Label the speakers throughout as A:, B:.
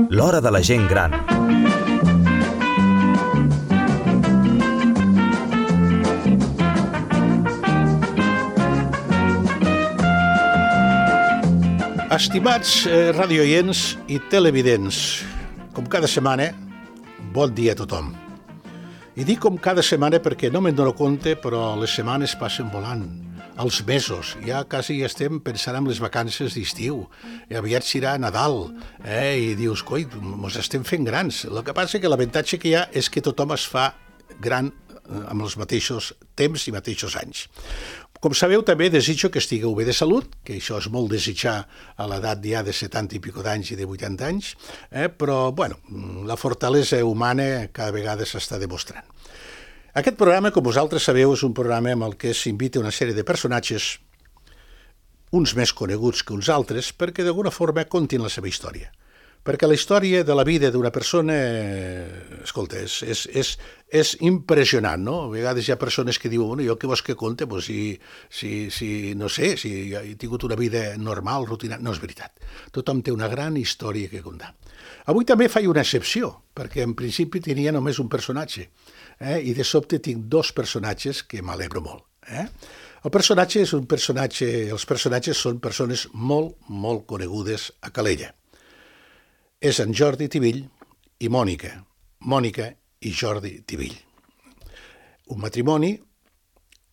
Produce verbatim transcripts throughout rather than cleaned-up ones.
A: L'hora de la gent gran.
B: Estimats eh, radioients i televidents, com cada setmana, bon dia a tothom. I dic com cada setmana perquè no me'n dono compte, però les setmanes passen volant. Els mesos, ja quasi estem pensant en les vacances d'estiu. I aviat serà Nadal, eh? I dius, coi, mos estem fent grans. El que passa que l'avantatge que hi ha és que tothom es fa gran amb els mateixos temps i mateixos anys. Com sabeu, també desitjo que estigueu bé de salut, que això és molt desitjar a l'edat ja de setanta i pico d'anys i de vuitanta anys, eh? Però, bueno, la fortalesa humana cada vegada s'està demostrant. Aquest programa, com vosaltres sabeu, és un programa amb el que s'invita una sèrie de personatges, uns més coneguts que uns altres, perquè d'alguna forma contin la seva història. Perquè la història de la vida d'una persona, escolta, és, és, és, és impressionant, no? A vegades hi ha persones que diuen, bueno, jo què vols que conte? Pues si, si, si, no sé, si he tingut una vida normal, rutinària. No és veritat. Tothom té una gran història que contar. Avui també faig una excepció, perquè en principi tenia només un personatge, eh? I de sobte tinc dos personatges que m'alegro molt. Eh? El personatge és un personatge, els personatges són persones molt, molt conegudes a Calella. És en Jordi Tibill i Mònica. Mònica i Jordi Tibill. Un matrimoni,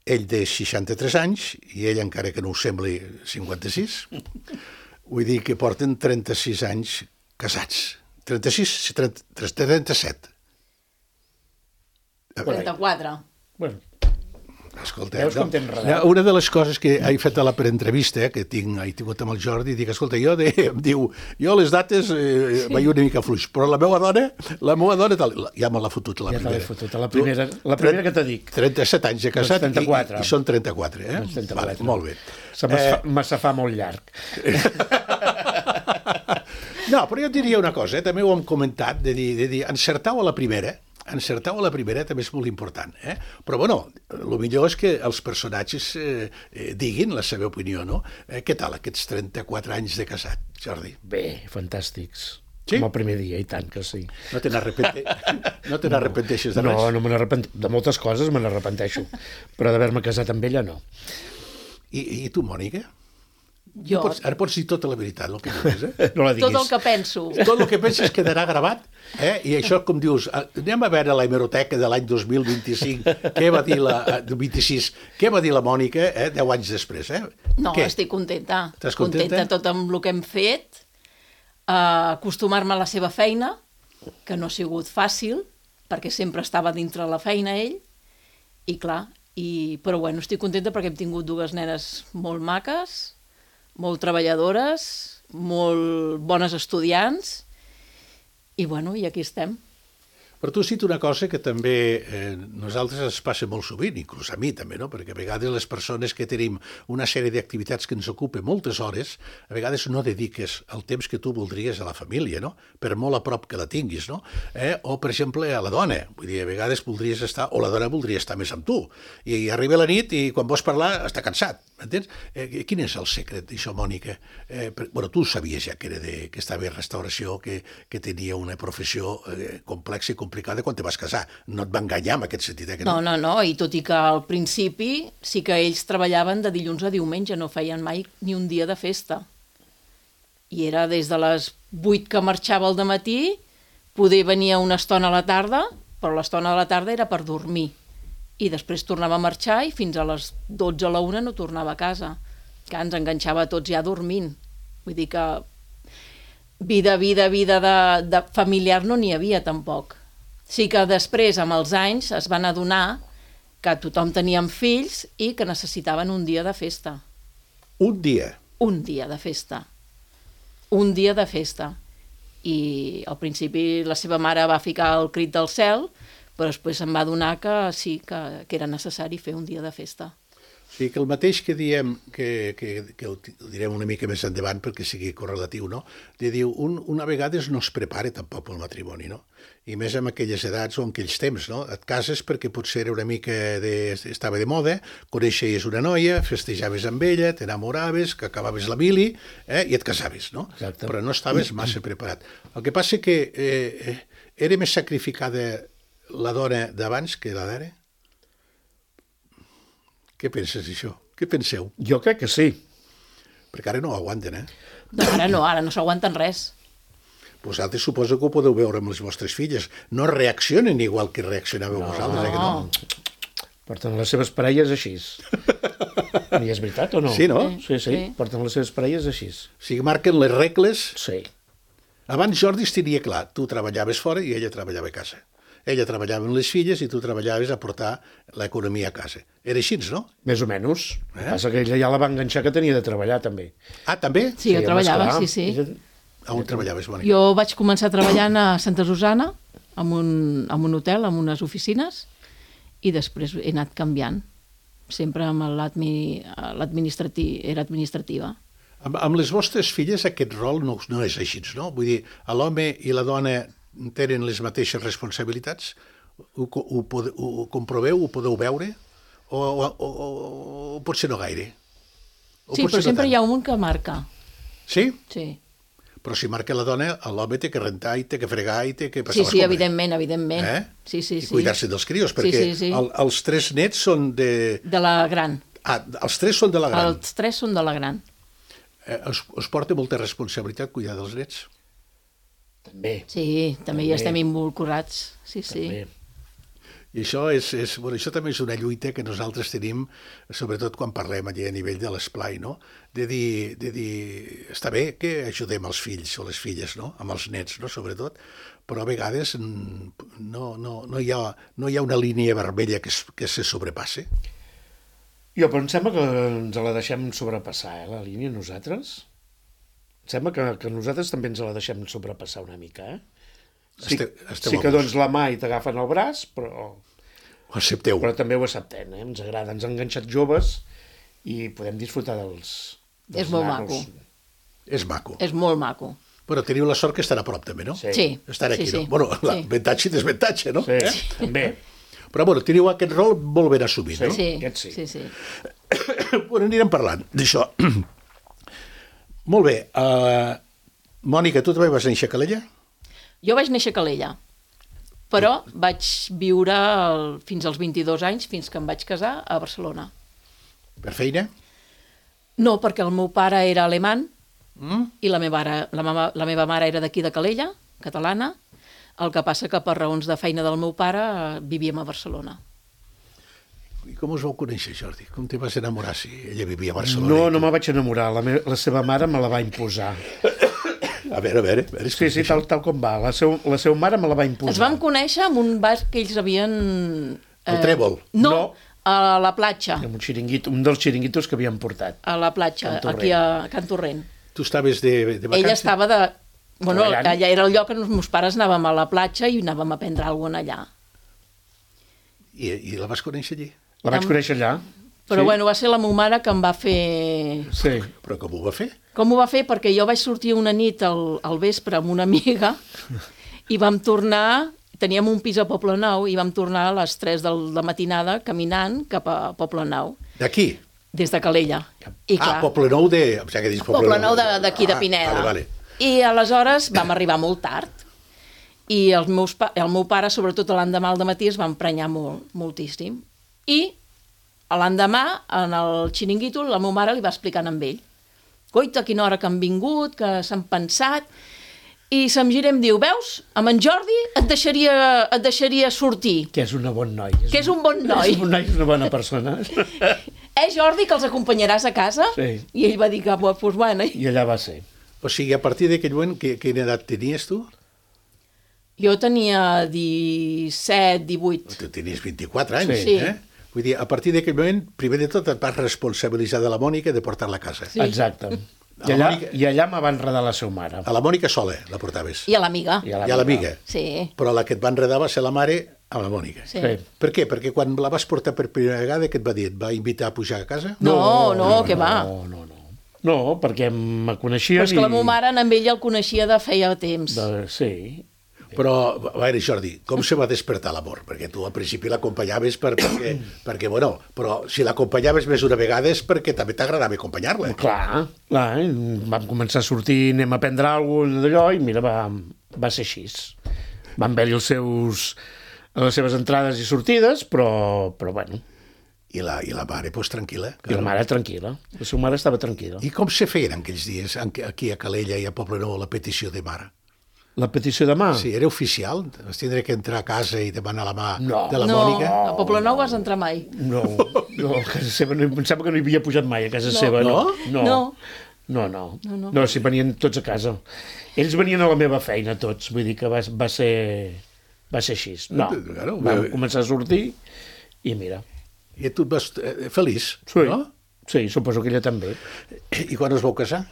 B: ell de seixanta-tres anys i ell encara que no ho sembli cinquanta-sis. Vull dir que porten trenta-sis anys casats. trenta-sis, trenta, trenta-set.
C: trenta-quatre.
D: Bueno,
B: escolta,
D: veus com
B: no,
D: t'he enredat?
B: una de les coses que he fet a la preentrevista, eh, que tinc, he tingut amb el Jordi, dic, escolta, jo de, em diu, jo les dates eh, sí. vaig una mica fluix, però la meva dona, la meva dona, tal, ja me l'ha fotut la
D: ja
B: primera.
D: Ja te l'he fotut, la primera, la primera que te dic.
B: trenta-set anys de casat
D: doncs trenta-quatre.
B: i, i són trenta-quatre, eh?
D: Doncs trenta-quatre.
B: Vale, molt bé.
D: Se me, eh... me se fa molt llarg.
B: No, però jo diria una cosa, eh? També ho hem comentat, de dir, de dir encertau a la primera, encertau a la primera també és molt important, eh? Però, bueno, el millor és que els personatges eh, eh, diguin la seva opinió, no? Eh, què tal aquests trenta-quatre anys de casat, Jordi?
D: Bé, fantàstics.
B: Sí?
D: Com el primer dia, i tant que sí.
B: No te n'arrepente... no te n'arrepenteixes de res?
D: No, no me n'arrepenteixo. De moltes coses me n'arrepenteixo, però d'haver-me casat amb ella no.
B: I, i tu, Mònica?
C: Jo...
B: Pots, ara pots dir tota la veritat, el que digues, eh?
D: No la diguis.
C: Tot el que penso.
B: Tot el que penses quedarà gravat, eh? I això, com dius, anem a veure la hemeroteca de l'any dos mil vint-i-cinc, què va dir la... vint-i-sis, què va dir la Mònica, eh? deu anys després, eh?
C: No,
B: què?
C: estic contenta.
B: Estàs contenta?
C: Contenta tot amb el que hem fet, uh, acostumar-me a la seva feina, que no ha sigut fàcil, perquè sempre estava dintre la feina ell, i clar, i... però bueno, estic contenta perquè hem tingut dues nenes molt maques, molt treballadores, molt bones estudiants, i bueno, i aquí estem.
B: Però tu has dit una cosa que també eh, nosaltres ens passa molt sovint, inclús a mi també, no? Perquè a vegades les persones que tenim una sèrie d'activitats que ens ocupen moltes hores, a vegades no dediques el temps que tu voldries a la família, no? Per molt a prop que la tinguis, no? Eh? O, per exemple, a la dona. Vull dir, a vegades voldries estar, o la dona voldria estar més amb tu. I, i arriba la nit i quan vols parlar està cansat, m'entens? Eh, quin és el secret d'això, Mònica? Eh, per, bueno, tu sabies ja que, era de, que estava en restauració, que, que tenia una professió eh, complexa i complicada quan te vas casar. No et va enganyar en aquest sentit, eh? Que
C: no, no, no, i tot i que al principi sí que ells treballaven de dilluns a diumenge, no feien mai ni un dia de festa. I era des de les vuit que marxava al dematí, poder venia una estona a la tarda, però l'estona de la tarda era per dormir. I després tornava a marxar i fins a les dotze a la una no tornava a casa. Que ens enganxava tots ja dormint. Vull dir que vida, vida, vida de, de familiar no n'hi havia tampoc. Sí que després, amb els anys, es van adonar que tothom teníem fills i que necessitaven un dia de festa.
B: Un dia?
C: Un dia de festa. Un dia de festa. I al principi la seva mare va ficar el crit del cel, però després se'n va adonar que sí, que, que era necessari fer un dia de festa.
B: I que el mateix que diem, que, que, que ho direm una mica més endavant perquè sigui correlatiu, no? De diu, un, una vegada no es prepara tampoc pel matrimoni, no? I més en aquelles edats o en aquells temps, no? Et cases perquè potser era una mica de, estava de moda, coneixies una noia, festejaves amb ella, t'enamoraves, que acabaves la mili, eh? I et casaves, no?
D: Exacte.
B: Però no estaves massa preparat. El que passa que eh, era més sacrificada la dona d'abans que la d'ara? Què penses d'això? Què penseu?
D: Jo crec que sí.
B: Perquè ara no ho aguanten, eh?
C: No, ara no, ara no s'aguanten res.
B: Vosaltres suposo que ho podeu veure amb les vostres filles. No reaccionen igual que reaccionàveu no. vosaltres, eh? Que no?
D: Porten les seves parelles així. I és veritat o no?
B: Sí, no?
D: Sí, sí, sí. Porten les seves parelles així.
B: O sigui, marquen les regles.
D: Sí.
B: Abans Jordi es tenia clar. Tu treballaves fora i ella treballava a casa. Ella treballava amb les filles i tu treballaves a portar l'economia a casa. Era així, no?
D: Més o menys.
B: Eh?
D: El que passa que ella ja la va enganxar que tenia de treballar, també.
B: Ah, també?
C: Sí, jo
D: home,
C: treballava,
D: esclar.
C: sí, sí.
B: A on treballaves, Mònica?
C: Jo vaig començar treballant a Santa Susana, en un, en un hotel, en unes oficines, i després he anat canviant. Sempre amb l'administratiu, era administrativa.
B: Amb, amb les vostres filles aquest rol no, no és així, no? Vull dir, l'home i la dona tenen les mateixes responsabilitats? Ho, ho, pode, ho comproveu, ho podeu veure? O, o, o, o potser no gaire? O
C: Sí, però
B: no
C: sempre
B: tant?
C: hi ha un que marca.
B: Sí?
C: Sí,
B: Però si marca la dona, l'home té que rentar i té que fregar i té que passar
C: sí,
B: les
C: sí,
B: compres.
C: evidentment, evidentment.
B: Eh?
C: Sí, sí,
B: I
C: sí.
B: cuidar-se dels crios,
C: Sí,
B: perquè
C: sí, sí.
B: El, els tres nets són de...
C: De la gran.
B: Ah, els tres són de la gran.
C: Els tres són de la gran.
B: Eh, us, us porta molta responsabilitat cuidar dels nets?
D: També.
C: Sí, també hi
D: També.
C: estem involucrats. Sí, sí.
D: També.
B: I això, és, és, bueno, això també és una lluita que nosaltres tenim, sobretot quan parlem allà a nivell de l'esplai, no? De dir, de dir, està bé que ajudem els fills o les filles, no? Amb els nets, no? Sobretot, però a vegades no, no, no, hi, ha, no hi ha una línia vermella que, es, que se sobrepasse.
D: Jo, però em sembla que ens la deixem sobrepassar, eh, la línia, nosaltres. Em sembla que, que nosaltres també ens la deixem sobrepassar una mica, eh? Sí,
B: Esteu, esteu
D: sí que dones la mà i t'agafen el braç, però,
B: Ho accepteu.
D: però també ho acceptem, eh? Ens agrada, ens han enganxat joves i podem disfrutar dels, dels
C: És molt
D: nanos.
C: maco.
B: És maco.
C: És molt maco.
B: Bueno, teniu la sort que estan a prop també, no?
D: Sí.
C: Sí.
B: Estan aquí,
C: sí,
B: no?
C: sí.
B: Bueno,
C: Sí.
B: l'avantatge i desventatge, no?
D: Sí,
B: Eh?
D: també.
B: Però bueno, teniu aquest rol molt ben assumit, no?
C: Sí,
D: Aquest sí.
C: sí, sí.
B: Bueno, anirem parlant d'això. Molt bé. Uh, Mònica, tu també vas néixer a Calella?
C: Jo vaig néixer a Calella, però vaig viure el, fins als vint-i-dos anys, fins que em vaig casar, a Barcelona.
B: Per feina?
C: No, perquè el meu pare era alemany
B: Mm?
C: i la meva, ara, la, meva, la meva mare era d'aquí de Calella, catalana, el que passa que per raons de feina del meu pare eh, vivíem a Barcelona.
B: I com us vau conèixer, Jordi? Com te vas enamorar si ella vivia a Barcelona?
D: No, no me vaig enamorar, la, me, la seva mare me la va imposar.
B: A veure, a veure. A veure
D: Sí, sí, tal, tal com va. La, seu, la seva mare me la va imposar.
C: Ens vam conèixer en un bar que ells havien...
B: El Trèvol?
C: No,
D: No.
C: a la platja.
D: Amb un, xiringuito, un dels xiringuitos que havien portat.
C: A la platja,
D: Can Torrent.
C: aquí a Can Torrent.
B: Tu estaves de, de vacances?
C: Ella estava de... Bueno,
D: Treballant.
C: allà era el lloc on els meus pares anàvem a la platja i anàvem a prendre alguna cosa allà.
B: I, I la vas conèixer allí?
D: La vaig
C: Am-
D: conèixer allà.
C: Però
D: sí.
C: bueno, va ser la meva mare que em va fer...
D: Sí.
B: Però com ho va fer?
C: Com ho va fer? Perquè jo vaig sortir una nit al, al vespre amb una amiga i vam tornar, teníem un pis a Poblenou i vam tornar a les tres del, de matinada caminant cap a Poblenou,
B: D'aquí?
C: des de Calella. I
B: Ah, Poblenou de... O sigui, que dius
C: Poblenou de- d'aquí, de
B: Ah,
C: Pineda.
B: Vale, vale.
C: I aleshores vam arribar molt tard. I els meus pa el meu pare, sobretot l'endemà al matí, es va emprenyar molt, moltíssim. I l'endemà, en el xiringuito, la meva mare li va explicant amb ell. Coita, a quina hora que han vingut, que s'han pensat... I se'm gira i em diu, veus, amb en Jordi et deixaria, et deixaria sortir,
D: Que és un bon noi.
C: que és un bon noi.
D: És un noi, és una bona persona.
C: Eh, Jordi, que els acompanyaràs a casa?
D: Sí.
C: I ell va dir que, doncs, pues, bueno...
D: I allà va ser.
B: O sigui, a partir d'aquell moment, que, quina edat tenies tu?
C: Jo tenia disset, divuit.
B: Tu tenies vint-i-quatre anys,
C: Sí.
B: eh? Vull dir, a partir d'aquell moment, primer de tot et vas responsabilitzar de la Mònica de portar-la a casa.
C: Sí.
D: Exacte.
B: A
D: I
B: la
D: allà,
B: Mònica-
D: I allà me va enredar la seva mare.
B: A la Mònica sola la portaves.
C: I a l'amiga.
D: I a
B: I a l'amiga.
C: Sí.
B: Però la que et va enredar va ser la mare Amb la Mònica.
C: Sí.
D: Sí.
B: Per què? Perquè quan la vas portar per primera vegada, què et va dir? Et va invitar a pujar a casa?
C: No, no, no, què va?
D: No, no, no. No, perquè me coneixien
C: Però és que la meva mare amb ell el coneixia de feia temps.
D: De... Sí.
B: Però, a veure, Jordi, com se va despertar l'amor? Perquè tu al principi l'acompanyaves per, perquè, perquè, bueno, però si l'acompanyaves més una vegada és perquè també t'agradava acompanyar-la.
D: Clar, clar, eh? Vam començar a sortir, anem a prendre alguna cosa d'allò, i mira, va, va ser així. Van haver-hi els seus, les seves entrades i sortides, però, però bueno,
B: I la, i la mare, doncs, tranquil·la.
D: i la mare tranquil·la. La seva mare estava tranquil·la.
B: I com se feien en aquells dies, en- aquí a Calella i a Poblenou, la petició de mare?
D: La petició de mà?
B: Sí, era oficial? Vas tindre que entrar a casa i demanar la mà
D: No.
B: de la
C: No,
B: Mònica?
C: a Poblenou vas entrar mai.
D: No, no, a casa seva, no, em sembla que no hi havia pujat mai a casa
C: No.
D: seva. No?
C: No.
D: No. No, no.
C: No, no.
D: No, si venien tots a casa. Ells venien a la meva feina, tots. Vull dir que va, va ser... Va ser així. No,
B: Claro,
D: vam
B: bé.
D: començar a sortir i mira.
B: I tu et vas eh, feliç,
D: Sí,
B: no?
D: sí, suposo que ella també.
B: I quan us vau casar?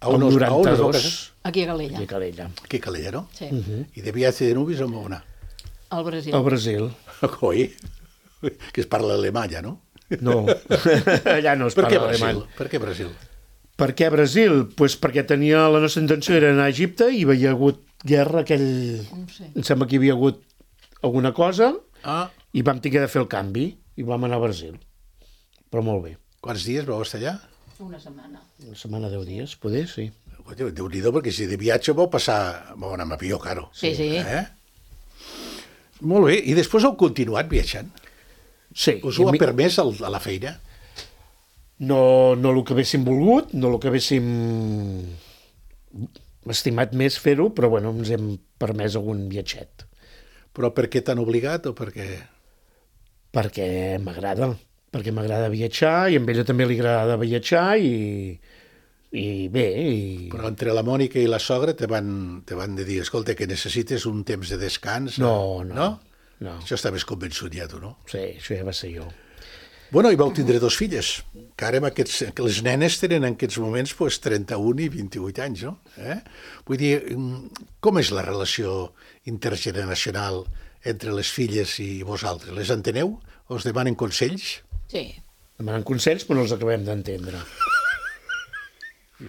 B: A
D: El
B: on us, a on us vau
D: noranta-dos,
B: casar?
C: Aquí a Calella.
D: i a Calella.
B: Aquí a Calella, no?
C: Sí,
B: I de viatge de nubis on vau anar?
C: al Brasil.
D: Al Brasil.
B: Coi, que es parla alemanya, no?
D: No, allà no es
B: Per què
D: parla
B: Brasil?
D: alemany.
B: Per què Brasil?
D: Per què Brasil? Pues perquè tenia la nostra intenció era anar a Egipte i hi havia hagut guerra aquell...
C: No ho sé.
D: Em sembla que hi havia hagut alguna cosa
B: Ah,
D: i vam tenir de fer el canvi i vam anar a Brasil. Però molt bé.
B: quants dies vau estar allà?
C: Una setmana.
D: Una setmana, deu dies, poder, sí.
B: Déu-n'hi-do, perquè si de viatge vau passar... Vau anar amb avió, caro.
C: Sí, sí.
B: Eh? Molt bé, i després heu continuat viatjant?
D: Sí.
B: Us
D: i
B: ho
D: a
B: ha
D: mi-
B: permès el, a la feina?
D: No, no el que haguéssim volgut, no el que haguéssim estimat més fer-ho, però bueno, ens hem permès algun viatget.
B: Però per què t'han obligat o perquè...
D: Perquè m'agrada, perquè m'agrada viatjar i a ella també li agrada viatjar i, i bé, i...
B: Però entre la Mònica i la sogra te van, te van de dir, escolta, que necessites un temps de descans.
D: No, no,
B: No?
D: no.
B: Això estaves convençut ja, tu, no?
D: Sí, això ja va ser jo.
B: Bueno, i vau tindre dos filles, que ara amb aquests, que les nenes tenen en aquests moments pues, trenta-un i vint-i-vuit anys, no? Eh? Vull dir, com és la relació intergeneracional entre les filles i vosaltres? Les enteneu? Us demanen consells?
C: Sí.
D: Demanen consells, però no els acabem d'entendre.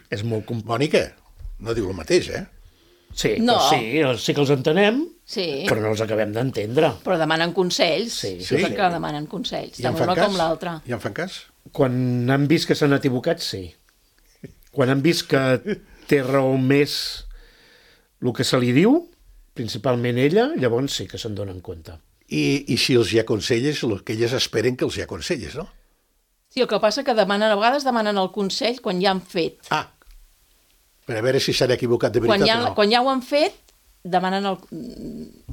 D: És molt... Com...
B: Mònica, no diu el mateix, eh?
D: Sí,
C: No.
D: no. sí, sí que els entenem,
C: Sí,
D: però no els acabem d'entendre.
C: però demanen consells.
D: Sí,
C: Sí,
B: sí.
C: que demanen consells,
B: I en
C: tant
B: fan
C: una
B: cas?
C: com l'altra.
B: I en fan cas?
D: Quan han vist que s'han equivocat, sí. Quan han vist que té raó més el que se li diu, principalment ella, llavors sí que se'n donen compte.
B: I, i si els hi aconselles, el que elles esperen que els hi aconselles, no?
C: Sí, el que passa que demanen, a vegades demanen el consell quan ja han fet.
B: Ah, per a veure si s'han equivocat de
C: Quan
B: veritat
C: ja,
B: o no.
C: quan ja ho han fet, demanen el...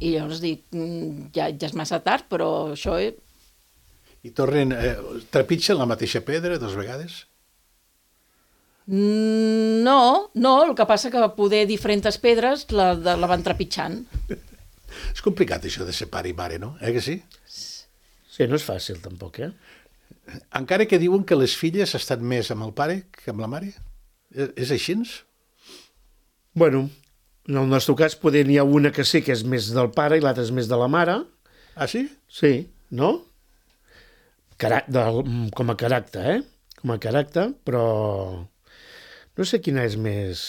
C: I llavors dic, "Mm, ja, ja és massa tard, però això... És...
B: I tornen, eh, trepitgen la mateixa pedra dues vegades?
C: Mm, No, no, el que passa que poder diferents pedres la, de, la van trepitjant.
B: És complicat això de ser pare i mare, no? Eh que sí?
D: Sí, no és fàcil tampoc, eh?
B: Encara que diuen que les filles estan més amb el pare que amb la mare. És, és així?
D: Bueno, en el nostre cas poder n'hi ha una que sí que és més del pare i l'altra és més de la mare.
B: Ah, sí?
D: Sí, no? Carà del, com a caràcter, eh? Com a caràcter, però no sé quina és més...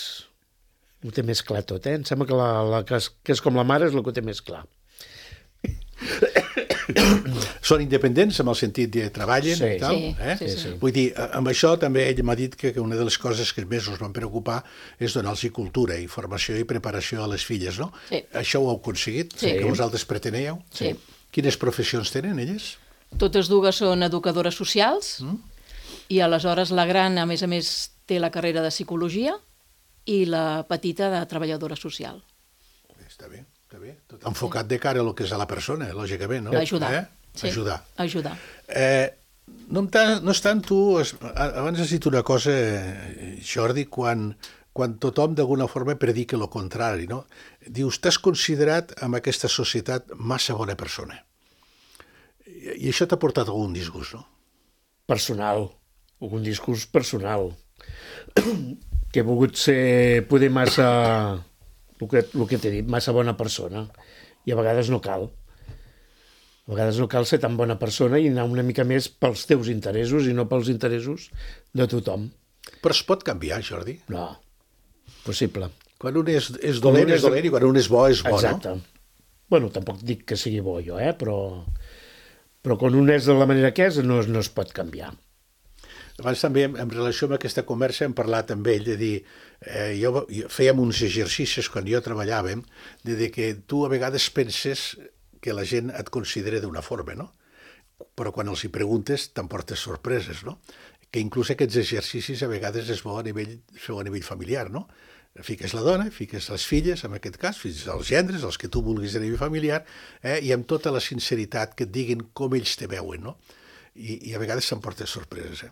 D: Ho té més clar tot, eh? Em sembla que la, la que, és, que és com la mare és el que ho té més clar.
B: Són independents amb el sentit de treballen
D: Sí.
B: i tal,
C: Sí,
B: eh?
C: sí, sí.
B: Vull dir, amb això també ell m'ha dit que, que una de les coses que més us van preocupar és donar-los cultura i formació i preparació a les filles, no?
C: Sí.
B: Això ho heu aconseguit?
C: Sí.
B: Que vosaltres preteníeu?
C: Sí.
B: Quines professions tenen elles?
C: Totes dues són educadores socials mm. i aleshores la gran, a més a més, té la carrera de psicologia i la petita de treballadora social.
B: Està bé, està bé. Tot enfocat de cara a lo que és a la persona, lògicament, no?
C: Ajudar.
B: Eh?
C: Sí.
B: Ajudar.
C: Ajudar.
B: Eh, no, em ta- no és tant tu... es- a- Abans has dit una cosa, eh, Jordi, quan, quan tothom d'alguna forma predica el contrari, no? Dius, t'has considerat en aquesta societat massa bona persona. I, i això t'ha portat algun disgust, no?
D: Personal, algun discurs personal. Que he volgut ser, poder massa, el que, el que t'he dit, massa bona persona. I a vegades no cal. A vegades no cal ser tan bona persona i anar una mica més pels teus interessos i no pels interessos de tothom.
B: Però es pot canviar, Jordi?
D: No, possible.
B: Quan un és, és dolent, és dolent, i quan un és bo, és bo,
D: Exacte.
B: no?
D: Bueno, tampoc dic que sigui bo jo, eh? però, però quan un és de la manera que és, no, no es pot canviar.
B: Abans també, en relació amb aquesta conversa, hem parlat amb ell de dir, eh, jo, jo fèiem uns exercicis quan jo treballàvem, de dir que tu a vegades penses que la gent et considera d'una forma, no? Però quan els hi preguntes t'emportes sorpreses, no? Que inclús aquests exercicis a vegades és bo a nivell, a nivell familiar, no? Fiques la dona, fiques les filles, en aquest cas, fins als gendres, els que tu vulguis a nivell familiar, eh? I amb tota la sinceritat que et diguin com ells te veuen, no? I, i a vegades s'emportes sorpreses, eh?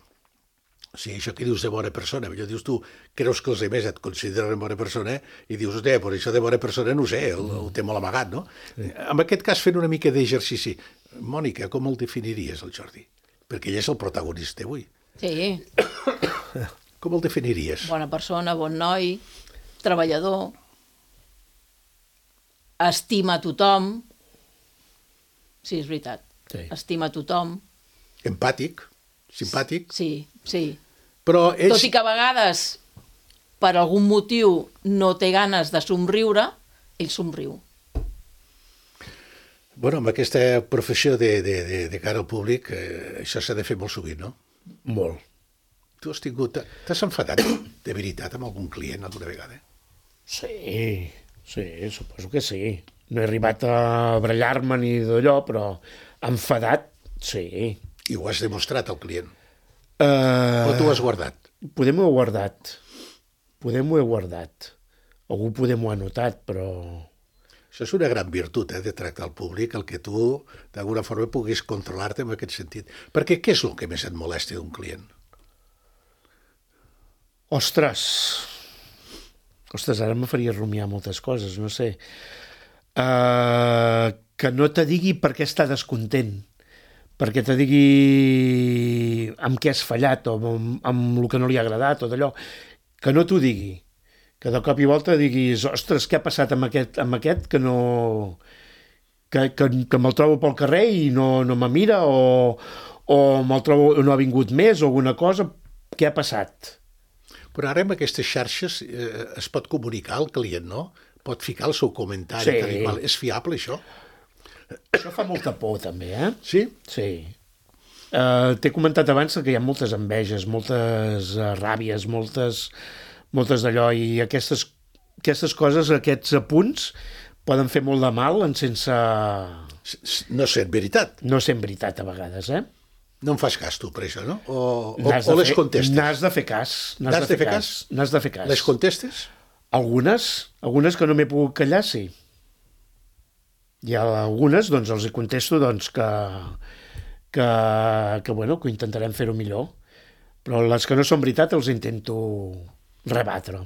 B: O sigui, això que dius de bona persona, millor dius tu, creus que els altres et consideren bona persona, eh? I dius, hòstia, però això de bona persona no ho sé, ho, ho té molt amagat, no? Sí. En aquest cas, fent una mica d'exercici, Mònica, com el definiries, el Jordi? Perquè ell és el protagonista avui.
C: Sí.
B: Com el definiries?
C: Bona persona, bon noi, treballador, estima a tothom. Sí, és veritat.
D: Sí.
C: Estima a tothom.
B: Empàtic, simpàtic.
C: Sí, sí.
B: Però ells...
C: Tot i que a vegades, per algun motiu, no té ganes de somriure, ell somriu.
B: Bueno, amb aquesta professió de, de, de, de cara al públic, eh, això s'ha de fer molt sovint, no?
D: Molt.
B: Tu has tingut... T'has enfadat de veritat amb algun client alguna vegada?
D: Sí, sí, suposo que sí. No he arribat a barallar-me ni d'allò, però enfadat, sí.
B: I ho has demostrat al client?
D: Uh,
B: O tu ho has guardat?
D: Podem ho he guardat. Podem ho he guardat. Algú podem ho ha notat, però...
B: Això és una gran virtut, eh, de tractar al públic, el que tu, d'alguna forma, puguis controlar-te en aquest sentit. Perquè què és el que més et molesta d'un client?
D: Ostres! Ostres, ara me faria rumiar moltes coses, no sé. Uh, que no te digui per què està descontent, perquè te digui amb què has fallat o amb, amb el que no li ha agradat o d'allò. Que no t'ho digui. Que de cop i volta diguis, ostres, què ha passat amb aquest, amb aquest que no... que, que, que me'l trobo pel carrer i no, no me mira o, o me'l trobo, no ha vingut més o alguna cosa, què ha passat?
B: Però ara amb aquestes xarxes eh, es pot comunicar al client, no? Pot ficar el seu comentari.
D: Sí.
B: Tal i qual. És fiable, això?
D: Això fa molta por, també, eh?
B: Sí?
D: Sí. Uh, T'he comentat abans que hi ha moltes enveges, moltes uh, ràbies, moltes, moltes d'allò, i aquestes, aquestes coses, aquests apunts, poden fer molt de mal en sense...
B: No sent veritat.
D: No sent veritat, a vegades, eh?
B: No em fas cas, tu, per això, no? O, o,
D: N'has
B: o
D: de
B: les
D: fer-
B: contestes?
D: N'has de fer cas. N'has de fer cas. N'has de fer cas.
B: Les contestes?
D: Algunes, algunes que no m'he pogut callar, sí. I a algunes, doncs, els hi contesto, doncs, que, que, que, bueno, que intentarem fer-ho millor. Però les que no són veritat els intento rebatre.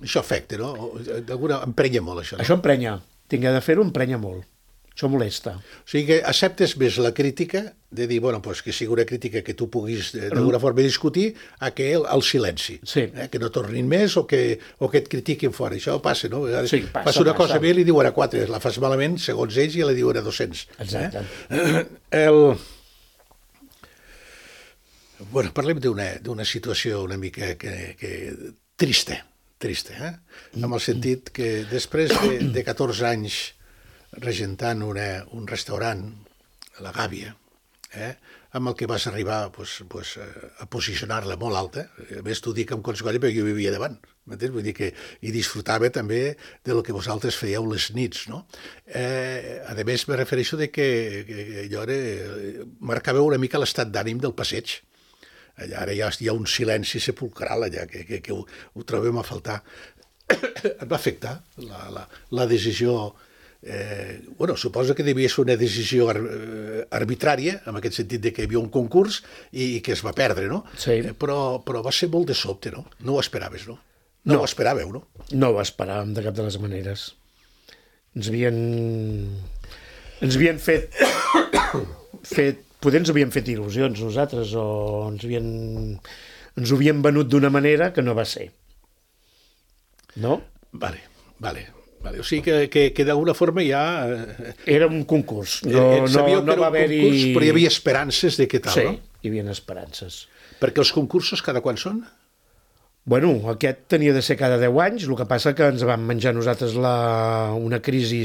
B: Això afecta, no? O- D'alguna... Emprenya molt, això, no?
D: Això emprenya. Tinc de fer-ho, emprenya molt. Això molesta.
B: O sigui que acceptes més la crítica de dir, bueno, pues que sigui una crítica que tu puguis eh, d'alguna forma discutir a que el, el silenci.
D: Sí.
B: Eh? Que no tornin més o que, o que et critiquin fora. Això passa, no? A vegades
D: Sí, passa,
B: passa una
D: passa.
B: cosa bé i li diuen a quatre, la fas malament, segons ells, i la diuen a dos-cents.
D: Exacte.
B: Eh? El... Bueno, parlem d'una d'una situació una mica que, que... trista, trista, eh? En el sentit que després de, de catorze anys regentant una, un restaurant, a la Gàbia, eh, amb el que vas arribar pues, pues, a posicionar-la molt alta. A més, t'ho dic amb Collscolla perquè jo vivia davant, m'entens? Vull dir que i disfrutava també de lo que vosaltres fèieu les nits, no? Eh, a més, me refereixo de que, que, que allò era, marcava una mica l'estat d'ànim del passeig. Allà ara ja hi ha un silenci sepulcral allà, que, que, que ho, ho trobem a faltar. Et va afectar la, la, la decisió. Eh, bueno, suposo que devia ser una decisió ar arbitrària, en aquest sentit de que hi havia un concurs i, i que es va perdre, no?
D: Sí.
B: Eh, però, però va ser molt de sobte, no? No ho esperaves, no? No,
D: No.
B: ho esperàveu, no?
D: No ho esperàvem de cap de les maneres. Ens havien... Ens havien fet... fet... Poder ens havien fet il·lusions nosaltres o ens havien... Ens ho havien venut d'una manera que no va ser. No?
B: Vale, vale. Vale, o sigui que, que, que d'alguna forma ja... Eh,
D: Era un concurs.
B: eh,
D: No, no,
B: sabíeu
D: no
B: que era
D: va
B: un
D: haver-hi...
B: concurs, però hi havia esperances de què tal,
D: Sí,
B: no?
D: hi havia esperances.
B: Perquè els concursos cada quan són?
D: Bueno, aquest tenia de ser cada deu anys, el que passa que ens vam menjar nosaltres la... una crisi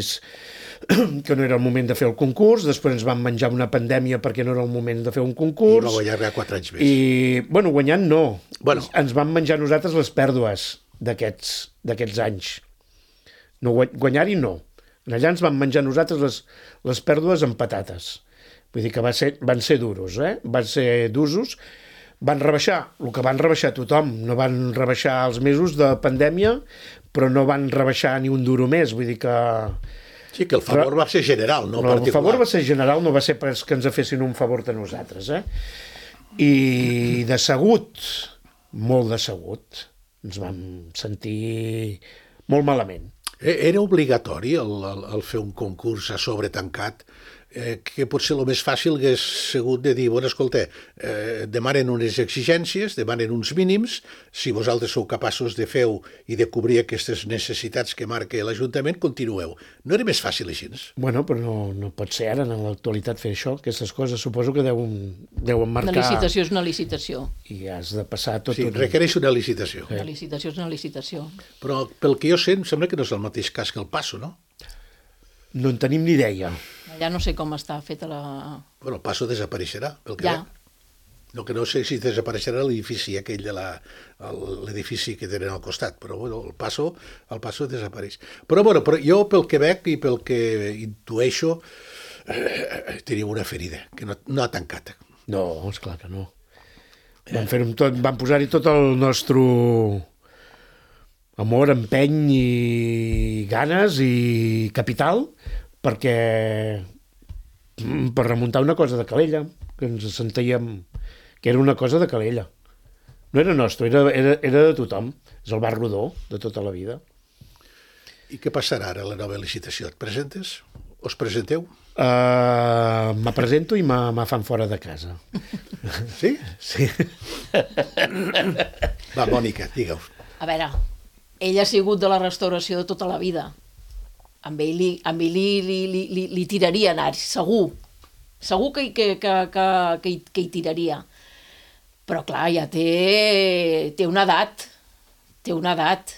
D: que no era el moment de fer el concurs, després ens vam menjar una pandèmia perquè no era el moment de fer un
B: I
D: concurs.
B: va guanyar ja quatre anys més.
D: I, bueno, guanyant no.
B: Bueno.
D: Ens vam menjar nosaltres les pèrdues d'aquests d'aquests anys. No, guanyar-hi no. Allà ens vam menjar nosaltres les, les pèrdues amb patates. Vull dir que va ser, van ser duros, eh? Van ser d'usos. Van rebaixar el que van rebaixar tothom. No van rebaixar els mesos de pandèmia, però no van rebaixar ni un duro més. Vull dir que...
B: Sí, que el favor va ser general, no,
D: no
B: particular.
D: El favor va ser general, no va ser perquè que ens fessin un favor de nosaltres, eh? I decebut, molt decebut, ens vam sentir molt malament.
B: Era obligatori el, el, el fer un concurs a sobre tancat, eh, que potser el més fàcil hagués sigut de dir, bueno, escolta, eh, demanen unes exigències, demanen uns mínims, si vosaltres sou capaços de fer i de cobrir aquestes necessitats que marca l'Ajuntament, continueu. No era més fàcil així?
D: Bueno, però no, no pot ser ara, en l'actualitat, fer això, aquestes coses. Suposo que deuen, deuen marcar...
C: Una licitació és una licitació.
D: I has de passar tot...
B: Sí,
D: un...
B: requereix una licitació.
C: Una licitació és una licitació.
B: Però pel que jo sé, em sembla que no és el mateix cas que el Passo, no?
D: No en tenim ni idea.
C: Allà no sé com està feta la...
B: Bueno, el Passo desapareixerà, pel que
C: Ja.
B: veig. No, que no sé si desapareixerà l'edifici aquell de la, l'edifici que tenen al costat, però bueno, el Passo, el Passo desapareix. Però bueno, però jo pel que veig i pel que intueixo, eh, teniu una ferida que no, no ha tancat.
D: No, esclar que no. Vam, fer tot, vam posar-hi tot el nostre amor, empeny i ganes i capital perquè per remuntar una cosa de Calella, que ens sentíem que era una cosa de Calella. No era nostre, era, era, era de tothom. És el bar rodó de tota la vida.
B: I què passarà ara a la nova licitació? Et presentes? Us presenteu?
D: Uh, me presento i me, me fan fora de casa.
B: Sí?
D: Sí.
B: Va, Mònica, digue-ho.
C: A veure, ell ha sigut de la restauració de tota la vida. Amb ell li, amb ell li, li, li, li, li tiraria anar, segur. Segur que, que, que, que, que, hi, que hi tiraria. Però clar, ja té, té una edat. Té una edat.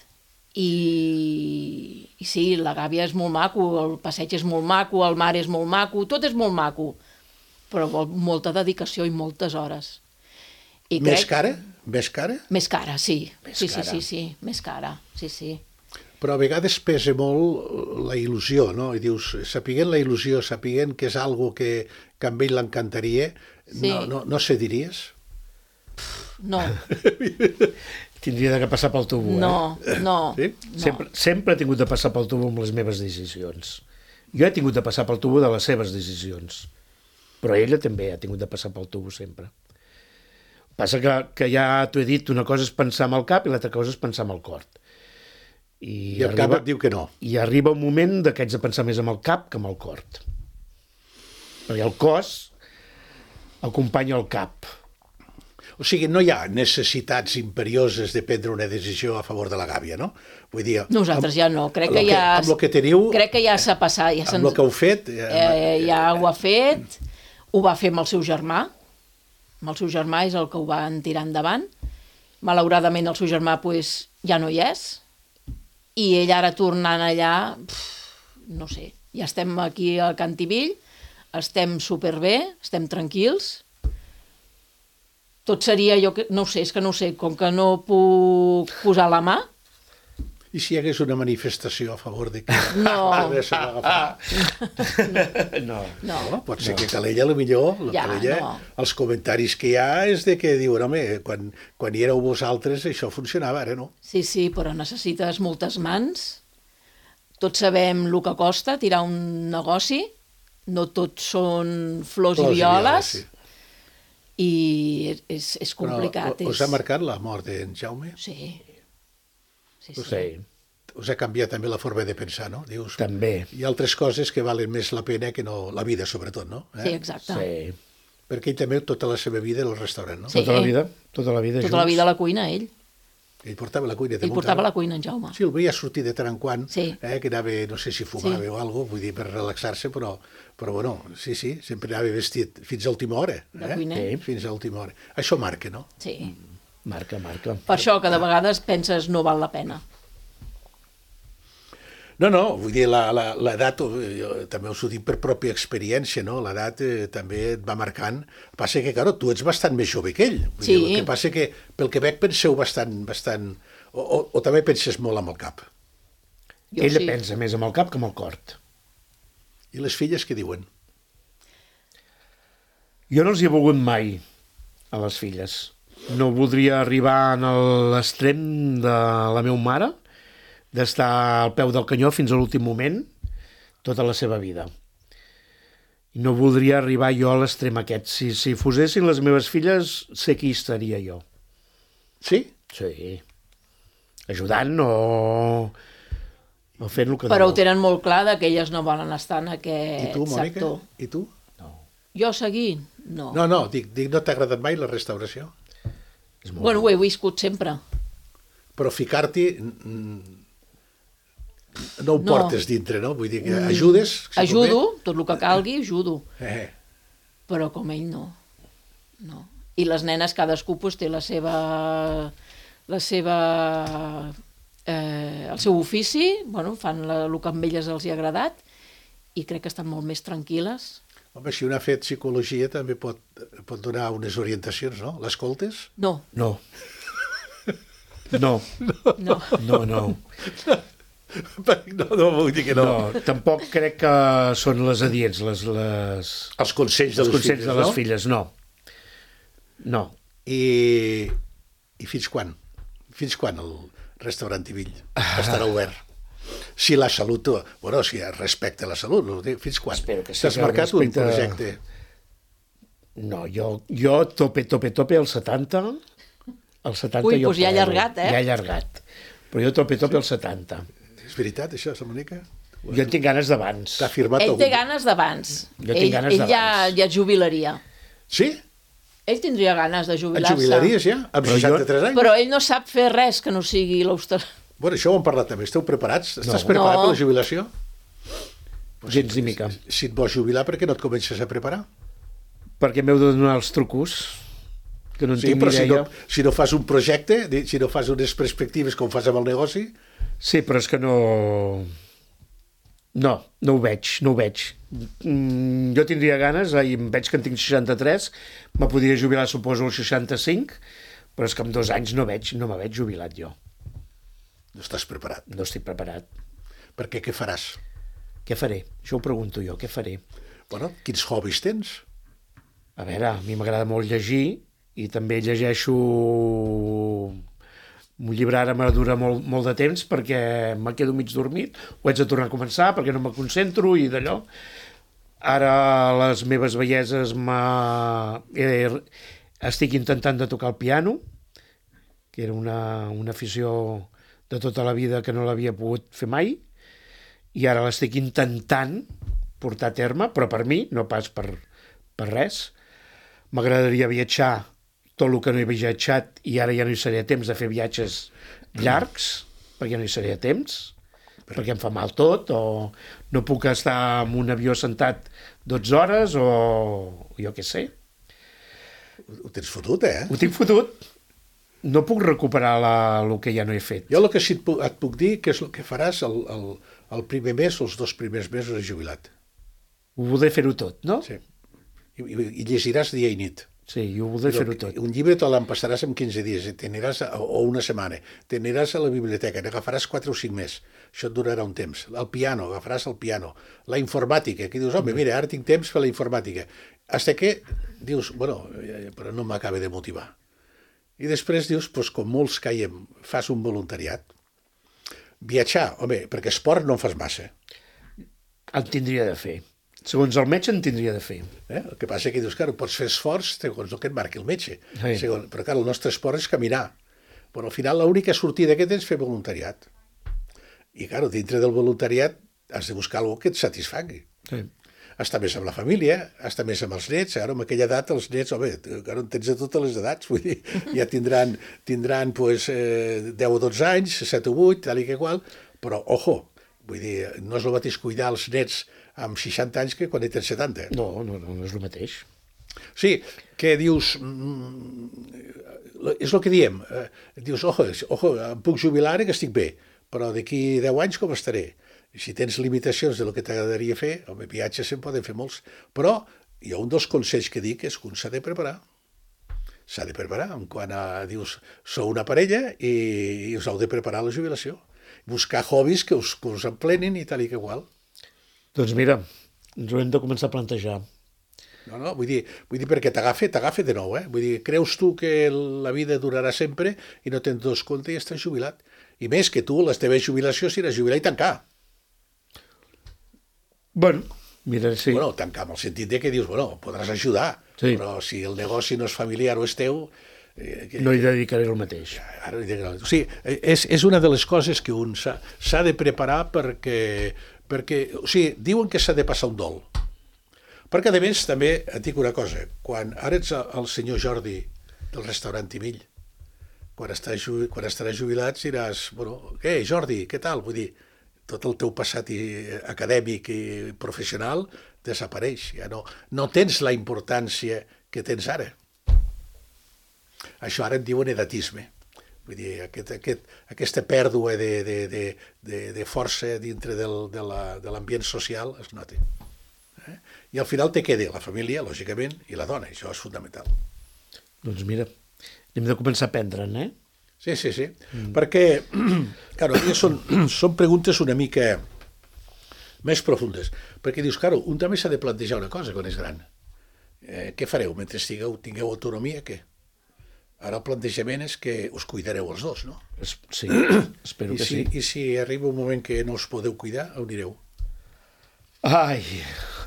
C: I, I sí, la gàbia és molt maco, el passeig és molt maco, el mar és molt maco, tot és molt maco. Però vol molta dedicació i moltes hores. I
B: Més
C: crec...
B: cara? Més cara?
C: Més cara, sí.
D: Més
C: sí,
D: cara.
C: sí, sí, sí, més cara, sí, sí.
B: Però a vegades pesa molt la il·lusió, no? I dius, sapiguent la il·lusió, sapiguent que és algo que, que a ell l'encantaria,
C: Sí.
B: no, no, no cediries?
C: No,
D: Tindria de passar pel tubo,
C: no,
D: eh?
C: no.
B: Sí?
C: no.
D: Sempre, sempre he tingut de passar pel tubo amb les meves decisions. Jo he tingut de passar pel tubo de les seves decisions. Però ella també ha tingut de passar pel tubo sempre. Passa que, que ja t'ho he dit, una cosa és pensar amb el cap i l'altra cosa és pensar amb el cor. I,
B: I el cap et diu que no.
D: I arriba un moment de que haig de pensar més amb el cap que amb el cor. Perquè el cos acompanya el cap.
B: O sigui, no hi ha necessitats imperioses de prendre una decisió a favor de la gàbia, no? Vull dir...
C: Nosaltres ja no, crec
B: amb
C: que
B: lo
C: ja...
B: Amb el que teniu,
C: Crec que ja s'ha passat. Ja
B: amb el que heu fet...
C: eh, ja ho ha fet, ho va fer amb el seu germà, amb el seu germà és el que ho van tirar endavant. Malauradament el seu germà pues, ja no hi és, i ell ara tornant allà, pf, no sé, ja estem aquí a Cantivill, estem superbé, estem tranquils. Tot seria, jo que, no ho sé, és que no ho sé, com que no puc posar la mà.
B: I si hi hagués una manifestació a favor de que...
C: No.
B: s'ha d'agafar?
D: No.
C: No,
B: No, pot ser no. que Calella, a lo millor, la
C: Ja,
B: Calella,
C: no.
B: els comentaris que hi ha és de que diuen, home, quan, quan hi éreu vosaltres això funcionava, ara no.
C: sí, sí, però necessites moltes mans. Tots sabem el que costa tirar un negoci, no tots són flors,
B: Flors
C: i violes,
B: sí.
C: i és, és complicat.
B: Però us
C: és...
B: ha marcat la mort d'en Jaume?
C: Sí. Sí, sí.
D: Sí,
B: Us ha canviat també la forma de pensar, no? Dius,
D: també.
B: hi ha altres coses que valen més la pena que no la vida, sobretot, no? Eh?
C: Sí, exacte.
D: Sí.
B: Perquè ell també tota la seva vida era el restaurant, no?
C: Sí.
D: Tota la vida, tota la vida
C: Tota la
D: junts.
C: vida a la cuina, ell.
B: Ell portava la cuina.
C: Ell portava la cuina, en Jaume.
B: Sí, el veia sortir de tant en quant,
C: Sí.
B: eh, que anava, no sé si fumava
C: Sí.
B: o alguna cosa, vull dir, per relaxar-se, però, però bueno, sí, sí, sempre anava vestit fins a última hora.
C: De
B: Eh?
C: cuiner.
B: Sí, fins a última hora. Això marca, no?
C: Sí.
D: Marca, marca.
C: Per això que de vegades penses no val la pena.
B: No, no, vull dir, la- la- l'edat, eh, jo també us ho dic per pròpia experiència, no? L'edat eh, també et va marcant. Passa que, claro, tu ets bastant més jove que ell. Vull
C: Sí.
B: dir, el que passa que, pel que veig, penseu bastant... bastant o, o, o també penses molt amb el cap.
C: Jo
D: Ella
C: sí.
D: pensa més amb el cap que amb el cor.
B: I les filles què diuen?
D: Jo no els hi he volgut mai a les filles. No voldria arribar a l'extrem de la meva mare, d'estar al peu del canyó fins a l'últim moment, tota la seva vida. I no voldria arribar jo a l'extrem aquest. Si, si fosessin les meves filles, sé qui estaria jo.
B: Sí?
D: Sí. Ajudant o, o fent el que
C: Però ho
D: no.
C: tenen molt clar de que elles no volen estar en
B: I
C: aquest
B: tu, Mònica?
C: sector.
B: I tu?
C: Jo seguir? No.
B: No, no, dic, dic no t'ha agradat mai la restauració?
D: És molt...
C: Bueno, ho he viscut sempre.
B: Però ficar-t'hi mm, no ho
C: No.
B: portes dintre, no? Vull dir que ajudes... si
C: Ajudo, tot el que calgui, ajudo.
B: convé. Eh,
C: Però com ell no. No. I les nenes, cadascú pues, té la seva... la seva... Eh, el seu ofici, bueno, fan la, el que amb elles els hi ha agradat i crec que estan molt més tranquil·les.
B: home, si un ha fet psicologia també pot, pot donar unes orientacions, no? L'escoltes?
C: No,
D: No. No,
C: no.
D: no, no.
B: No, no, vull dir que no.
D: No, tampoc crec que són les adients, les, les,
B: Els consells de
D: els
B: les
D: consells
B: filles,
D: de les
B: no?
D: filles, no. No.
B: I, I fins quan? Fins quan el restaurant Tibill estarà obert? Si la salut... Bueno, si respecta la salut, no? Fins quan?
D: Espero que sí,
B: T'has
D: que
B: marcat un
D: respecte-
B: projecte?
D: No, jo, jo tope, tope, tope, al setanta, al setanta
C: Ui,
D: jo
C: doncs ja ha
D: paro.
C: allargat, eh?
D: Ja ha allargat. Però jo tope, tope, al setanta.
B: És veritat, això, Monica?
D: Jo en tinc ganes d'abans.
B: T'ha firmat
C: Ell
B: algun...
C: té ganes d'abans.
D: Jo tinc
C: Ell,
D: ganes
C: ell ja,
D: d'abans.
C: ja es jubilaria.
B: Sí?
C: Ell tindria ganes de
B: Et
C: jubilar-se.
B: jubilaries ja? Amb
D: Però jo-
B: seixanta-tres anys?
C: Però ell no sap fer res que no sigui l'auster...
B: Bueno, això ho hem parlat també. Esteu preparats? Estàs
D: No.
B: preparat
C: No.
B: per la jubilació?
D: Gens ni mica.
B: Si et vols jubilar, per què no et comences a preparar?
D: Perquè m'heu de donar els trucos, que no en
B: Sí,
D: tinc
B: però
D: ni
B: si no,
D: idea.
B: si no fas un projecte, di- si no fas unes perspectives com fas amb el negoci,
D: Sí, però és que no... No, no ho veig, no ho veig. Mm, jo tindria ganes, i em veig que en tinc seixanta-tres, me podria jubilar, suposo, als seixanta-cinc, però és que en dos anys no veig, no me veig jubilat jo.
B: no estàs preparat.
D: No estic preparat.
B: Perquè què faràs?
D: Què faré? Això ho pregunto jo, què faré?
B: Bueno, quins hobbies tens?
D: A veure, a mi m'agrada molt llegir i també llegeixo un llibre, ara me dura molt, molt de temps perquè me quedo mig dormit, ho haig de tornar a començar perquè no me concentro i d'allò. Ara les meves velleses m'ha... eh, estic intentant de tocar el piano, que era una, una afició de tota la vida que no l'havia pogut fer mai, i ara l'estic intentant portar a terme, però per mi, no pas per, per res. M'agradaria viatjar tot el que no he viatjat i ara ja no hi seré a temps de fer viatges llargs, perquè ja no hi seré a temps, perquè em fa mal tot, o no puc estar en un avió sentat dotze hores, o jo què sé.
B: Ho tens fotut, eh?
D: Ho tinc fotut. No puc recuperar la, el que ja no he fet.
B: Jo el que sí et puc, et puc dir que és el que faràs el, el, el primer mes o els dos primers mesos de jubilat.
D: Ho voldré fer-ho tot, no?
B: Sí. I, i, i llegiràs dia i nit.
D: Sí, ho voldré fer-ho tot.
B: Un llibre te l'empassaràs en quinze dies, i t'aniràs a, o una setmana, t'aniràs a la biblioteca, n'agafaràs quatre o cinc més, això et durarà un temps. El piano, agafaràs el piano. La informàtica, que dius, home, mira, ara tinc temps per la informàtica. Hasta que dius, bueno, però no m'acaba de motivar. I després dius, doncs, com molts caiem, fas un voluntariat. Viatjar, home, perquè esport no en fas massa.
D: En tindria de fer. Segons el metge en tindria de fer.
B: Eh? El que passa que dius, clar, pots fer esforç segons el que et marqui el metge.
D: Sí.
B: Segons, però, clar, el nostre esport és caminar. Però al final l'única sortida que tens és fer voluntariat. I, clar, dintre del voluntariat has de buscar alguna que et satisfagui.
D: Sí.
B: estar més amb la família, estar més amb els nets. Ara, amb aquella edat, els nets, home, ara en tens de totes les edats, vull dir, ja tindran, tindran pues, eh, deu o dotze anys, set o vuit, tal i que qual, però, ojo, vull dir, no és el mateix cuidar els nets amb seixanta anys que quan en tens setanta.
D: No, no, no, no és el mateix.
B: Sí, que dius... Mm, és el que diem. Eh, dius, ojo, ojo, em puc jubilar ara que estic bé, però d'aquí deu anys com estaré? Si tens limitacions de lo que t'agradaria fer, home, viatges se'n poden fer molts, però hi ha un dels consells que dic és que un s'ha de preparar. S'ha de preparar, en quant a, dius, sou una parella i, i us heu de preparar la jubilació. Buscar hobbies que us, que us emplenin i tal i que igual.
D: Doncs mira, ens ho hem de començar a plantejar.
B: No, no, vull dir, vull dir perquè t'agafa, t'agafa de nou, eh? Vull dir, creus tu que la vida durarà sempre i no tens dos compte i estàs jubilat. I més que tu, la teva jubilació serà jubilar i tancar.
D: Bueno, mira, sí.
B: Bueno, tancar en el sentit de que dius, bueno, podràs ajudar,
D: sí.
B: Però si el negoci no és familiar o és teu... Eh, que,
D: no hi dedicaré el mateix.
B: Ara, o sigui, és, és una de les coses que un s'ha de preparar perquè, perquè... O sigui, diuen que s'ha de passar un dol. Perquè, a més, també et dic una cosa. Quan ara ets el senyor Jordi del restaurant Timill, quan, estàs, quan estaràs jubilat diràs, bueno, què, Jordi, què tal? Vull dir, tot el teu passat i, acadèmic i professional desapareix. Ja no, no tens la importància que tens ara. Això ara en diuen edatisme. Vull dir, aquest, aquest, aquesta pèrdua de, de, de, de, de força dintre del, de l'ambient social es nota. Eh? I al final te queda la família, lògicament, i la dona. Això és fundamental.
D: Doncs mira, hem de començar a prendre'n, eh?
B: Sí, sí, sí. Mm. Perquè, claro, són, són preguntes una mica més profundes. Perquè dius, claro, un també s'ha de plantejar una cosa quan és gran. Eh, què fareu mentre estigueu, tingueu autonomia? Què? Ara el plantejament és que us cuidareu els dos, no?
D: Sí, espero
B: I
D: que
B: si,
D: sí.
B: I si arriba un moment que no us podeu cuidar, on anireu?
D: Ai,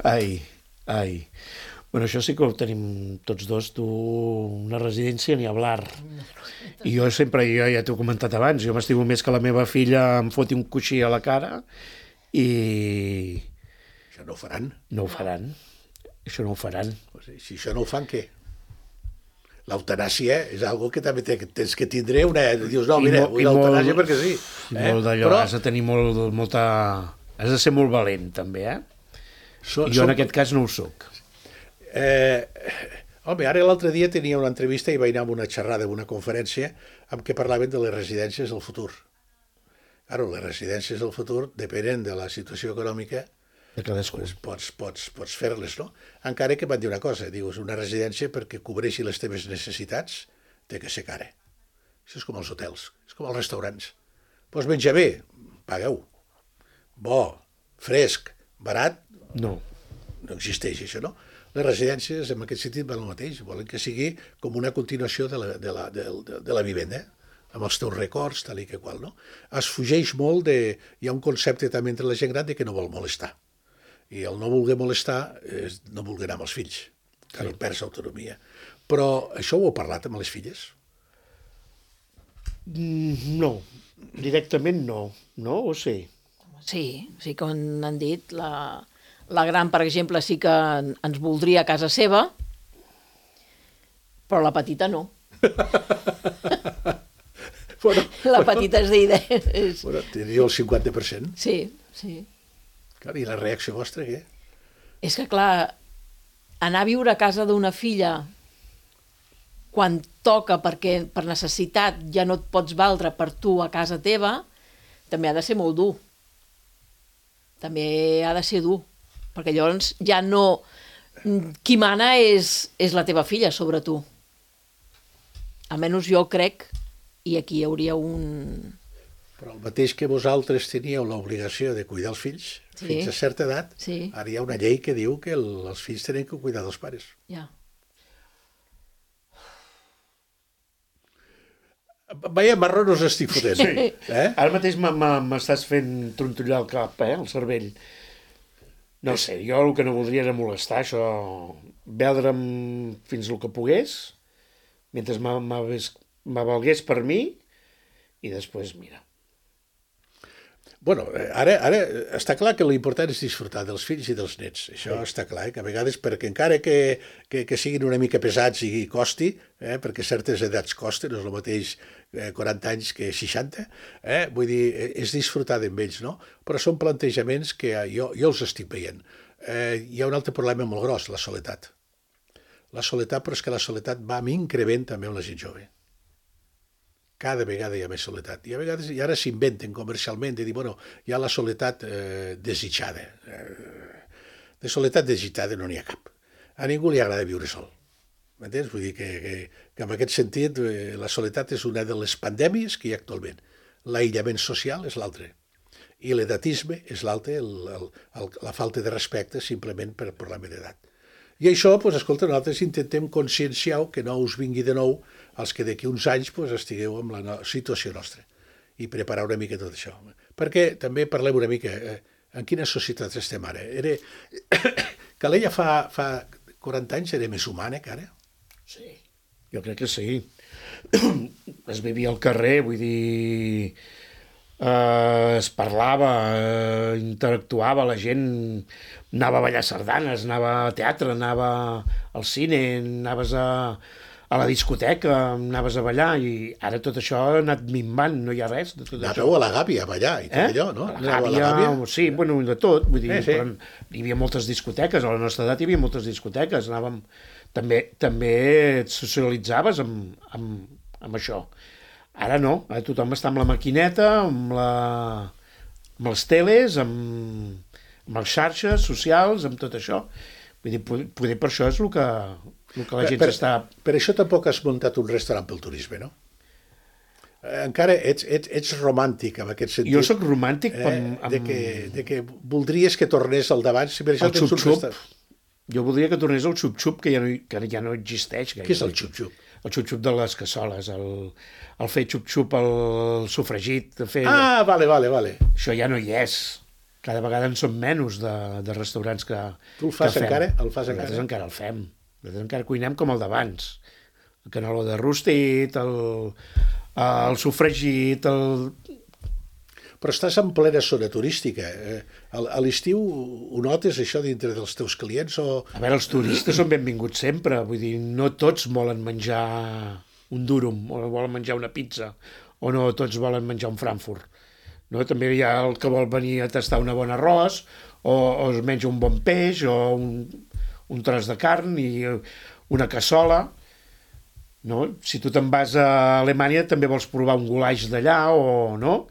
D: ai, ai. Bueno, això sí que ho tenim tots dos, tu una residència ni hablar. I jo sempre, jo ja t'ho he comentat abans, jo m'estimo més que la meva filla em foti un coixí a la cara i...
B: Això no ho faran.
D: No ho faran. Això no ho faran.
B: Si això no ho fan, què? L'eutanàsia és algo que també tens que tindre una... Dius, no, mira, vull l'eutanàsia perquè sí.
D: Eh? Molt d'allò, Però... has de tenir molt, molta... Has de ser molt valent, també, eh? So, I jo som... en aquest cas no ho soc.
B: Eh, home, ara l'altre dia tenia una entrevista i vaig anar a una xerrada, a una conferència, amb què parlaven de les residències del futur. Claro, les residències del futur depenen de la situació econòmica,
D: de cadascú.
B: Pues pots, pots, pots fer-les, no? Encara que van dir una cosa, dius, una residència perquè cobreixi les teves necessitats té que ser cara. Això és com els hotels, és com els restaurants. Pots menjar bé, pagueu. Bo, fresc, barat,
D: no,
B: no existeix això, no? Les residències, en aquest sentit, van el mateix. Volen que sigui com una continuació de la, de la, de, de, de la vivenda, amb els teus records, tal i que qual, no? Es fugeix molt de... Hi ha un concepte també entre la gent gran de que no vol molestar. I el no voler molestar és no voler anar amb els fills, que no perds autonomia. Però això ho heu parlat amb les filles?
D: Mm, no, directament no. No, o sí?
C: Sí, sí que han dit, la... La gran, per exemple, sí que ens voldria a casa seva, però la petita no.
B: Bueno,
C: la petita és d'idea. És...
B: Bueno, teniu el cinquanta per cent.
C: Sí, sí.
B: Clar, i la reacció vostra, què?
C: És que, clar, anar a viure a casa d'una filla quan toca perquè per necessitat ja no et pots valdre per tu a casa teva, també ha de ser molt dur. També ha de ser dur. Perquè llavors ja no... Qui mana és, és la teva filla sobre tu. Almenys jo crec, i aquí hi hauria un...
B: Però el mateix que vosaltres teníeu l'obligació de cuidar els fills, sí, fins a certa edat,
C: sí,
B: ara hi ha una llei que diu que el, els fills tenen que cuidar dels pares.
C: Ja.
B: Veia, marró no us estic fotent.
D: Sí. Eh? Ara mateix m'estàs fent trontollar el cap, eh, el cervell. No sé, jo el que no voldria era molestar, això, veldre'm fins el que pogués, mentre m'avalgués per mi, i després, mira.
B: Bueno, ara, ara està clar que l'important és disfrutar dels fills i dels nets. Això sí. Està clar, eh? Que a vegades, perquè encara que, que, que siguin una mica pesats i costi, eh? Perquè certes edats costen, no és el mateix eh, quaranta anys que seixanta, eh? Vull dir, és disfrutar d'ells, ells, no? Però són plantejaments que jo, jo els estic veient. Eh, hi ha un altre problema molt gros, la soledat. La soledat, però és que la soledat va amb increment també amb la gent jove. Cada vegada hi ha més soledat. I a vegades, i ara s'inventen comercialment de dir, bueno, hi ha la soledat eh, desitjada. Eh, de soledat desitjada no n'hi ha cap. A ningú li agrada viure sol. M'entens? Vull dir que, que, que en aquest sentit eh, la soledat és una de les pandèmies que hi ha actualment. L'aïllament social és l'altre. I l'edatisme és l'altre, el, el, el, la falta de respecte simplement per problema d'edat. I això, doncs, escolta, nosaltres intentem conscienciar que no us vingui de nou els que d'aquí uns anys doncs, estigueu amb la no situació nostra i preparar una mica tot això. Perquè també parlem una mica eh, en quina societat estem ara. Era... Calella fa, fa quaranta anys era més humana que ara?
D: Sí, jo crec que sí. Es vivia al carrer, vull dir... Eh, es parlava, eh, interactuava, la gent anava a ballar sardanes, anava a teatre, anava al cine, anaves a, a la discoteca, anaves a ballar, i ara tot això ha anat minvant, no hi ha res de tot
B: Anàveu
D: això.
B: a la Gàbia a ballar i tot
D: Eh?
B: allò, no?
D: A la Gàbia,
B: a la Gàbia?
D: sí, bueno, de tot, vull dir,
B: Eh, sí.
D: però hi havia moltes discoteques, a la nostra edat hi havia moltes discoteques, anàvem, també, també et socialitzaves amb, amb, amb això. Ara no, ara tothom està amb la maquineta, amb, la, amb les teles, amb, amb les xarxes socials, amb tot això. Vull dir, poder per això és el que, el que la gent
B: per,
D: s'està...
B: Per això tampoc has muntat un restaurant pel turisme, no? Encara ets, ets, ets romàntic en aquest sentit.
D: Jo sóc romàntic
B: eh,
D: amb... amb...
B: De, que, de que voldries que tornés al davant. Si per això
D: el
B: tens un
D: xup-xup.
B: restaurant.
D: Jo voldria que tornés el xup-xup, que, ja no, que ja no existeix.
B: Què és el xup-xup?
D: El xup-xup de les cassoles, el, el fer xup-xup, el sofregit, de fer...
B: Ah, vale, vale, vale.
D: Això ja no hi és. Cada vegada en són menys de, de restaurants que
B: Tu el fas
D: que fem.
B: encara? El fas
D: Nosaltres
B: encara?
D: encara el fem. Nosaltres encara cuinem com el d'abans. El caneló de rostit, el, el sofregit, el...
B: Però estàs en plena zona turística. Eh, A l'estiu ho notes, això, dintre dels teus clients? O...
D: A veure, els turistes són benvinguts sempre. Vull dir, no tots volen menjar un durum, o volen menjar una pizza, o no tots volen menjar un Frankfurt. No? També hi ha el que vol venir a tastar una bona arròs, o, o es menja un bon peix, o un, un tros de carn i una cassola. No? Si tu te'n vas a Alemanya també vols provar un goulash d'allà, o no?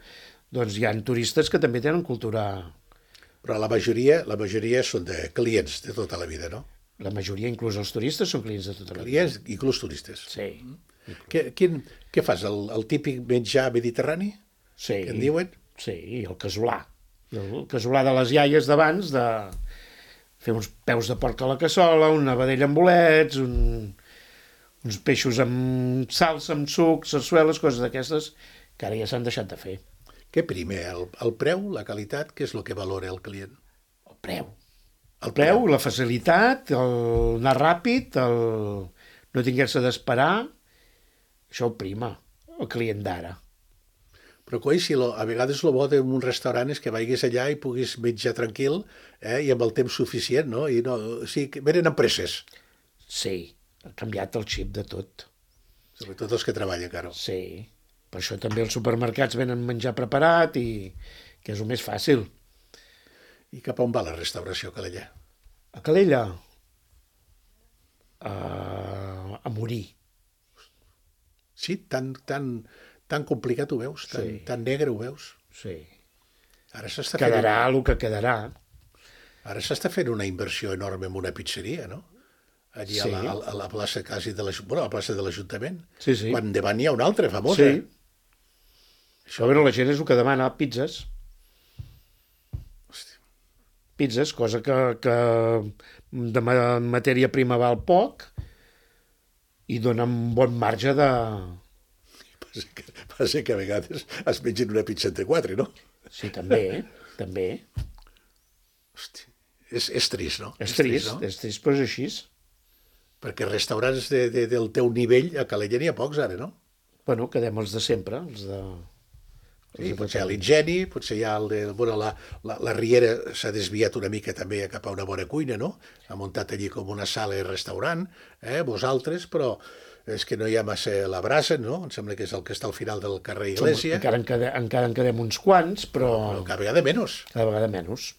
D: Doncs hi ha turistes que també tenen cultura...
B: Però la majoria, la majoria són de clients de tota la vida, no?
D: La majoria, inclús els turistes, són clients de tota la vida.
B: Clients, inclús turistes.
D: Sí.
B: Què, quin, què fas, el, el típic menjar mediterrani,
D: Sí.
B: que en diuen?
D: Sí, i el casolà. El casolà de les iaies d'abans, de fer uns peus de porc a la cassola, una vedella amb bolets, un, uns peixos amb salsa, amb suc, sarsueles, coses d'aquestes, que ara ja s'han deixat de fer.
B: Què primer, el, el preu, la qualitat, què és el que valora el client?
D: El preu.
B: El
D: El preu, la facilitat, el anar ràpid, el no tinguer-se d'esperar, això ho prima, el client d'ara.
B: Però, coi, si lo, a vegades el bo d'un restaurant és que vagis allà i puguis menjar tranquil eh, i amb el temps suficient, no? I no, o sigui, que venen amb presses,
D: Sí, ha canviat el xip de tot.
B: sobretot els que treballen, Caro.
D: Sí, per això també els supermercats venen menjar preparat i que és el més fàcil.
B: I cap on va la restauració, Calella?
D: A Calella, a, a morir.
B: Sí, tan, tan, tan complicat ho veus, tan,
D: Sí.
B: tan negre ho veus.
D: Sí.
B: Ara s'està fent,
D: Quedarà el que quedarà.
B: ara s'està fent una inversió enorme en una pizzeria, no? Allí a,
D: Sí.
B: la, a la plaça quasi de l'Ajuntament, bueno, a la plaça de l'Ajuntament.
D: Sí, sí.
B: Quan davant hi ha una altra famosa.
D: Sí. Això, a veure, la gent és el que demana, pizzas.
B: Hòstia.
D: Pizzas, cosa que, que de ma- matèria prima val poc i dona un bon marge de...
B: Passa que, passa que a vegades es mengen una pizza entre quatre, no?
D: Sí, també, també.
B: Hòstia, és, és trist, no?
D: És trist,
B: no?
D: és trist, però és així.
B: Perquè restaurants de, de, del teu nivell a Calella n'hi ha pocs ara, no?
D: Bueno, quedem els de sempre, els de...
B: Sí, potser a l'Ingeni, potser hi ha el de... Bueno, la, la, la Riera s'ha desviat una mica també cap a una bona cuina, no? Ha muntat allí com una sala i restaurant, eh, vosaltres, però és que no hi ha massa la brasa, no? Em sembla que és el que està al final del carrer Iglésia.
D: Encara en, quedem, encara en quedem uns quants, però...
B: Però cada vegada menys.
D: Cada vegada menys.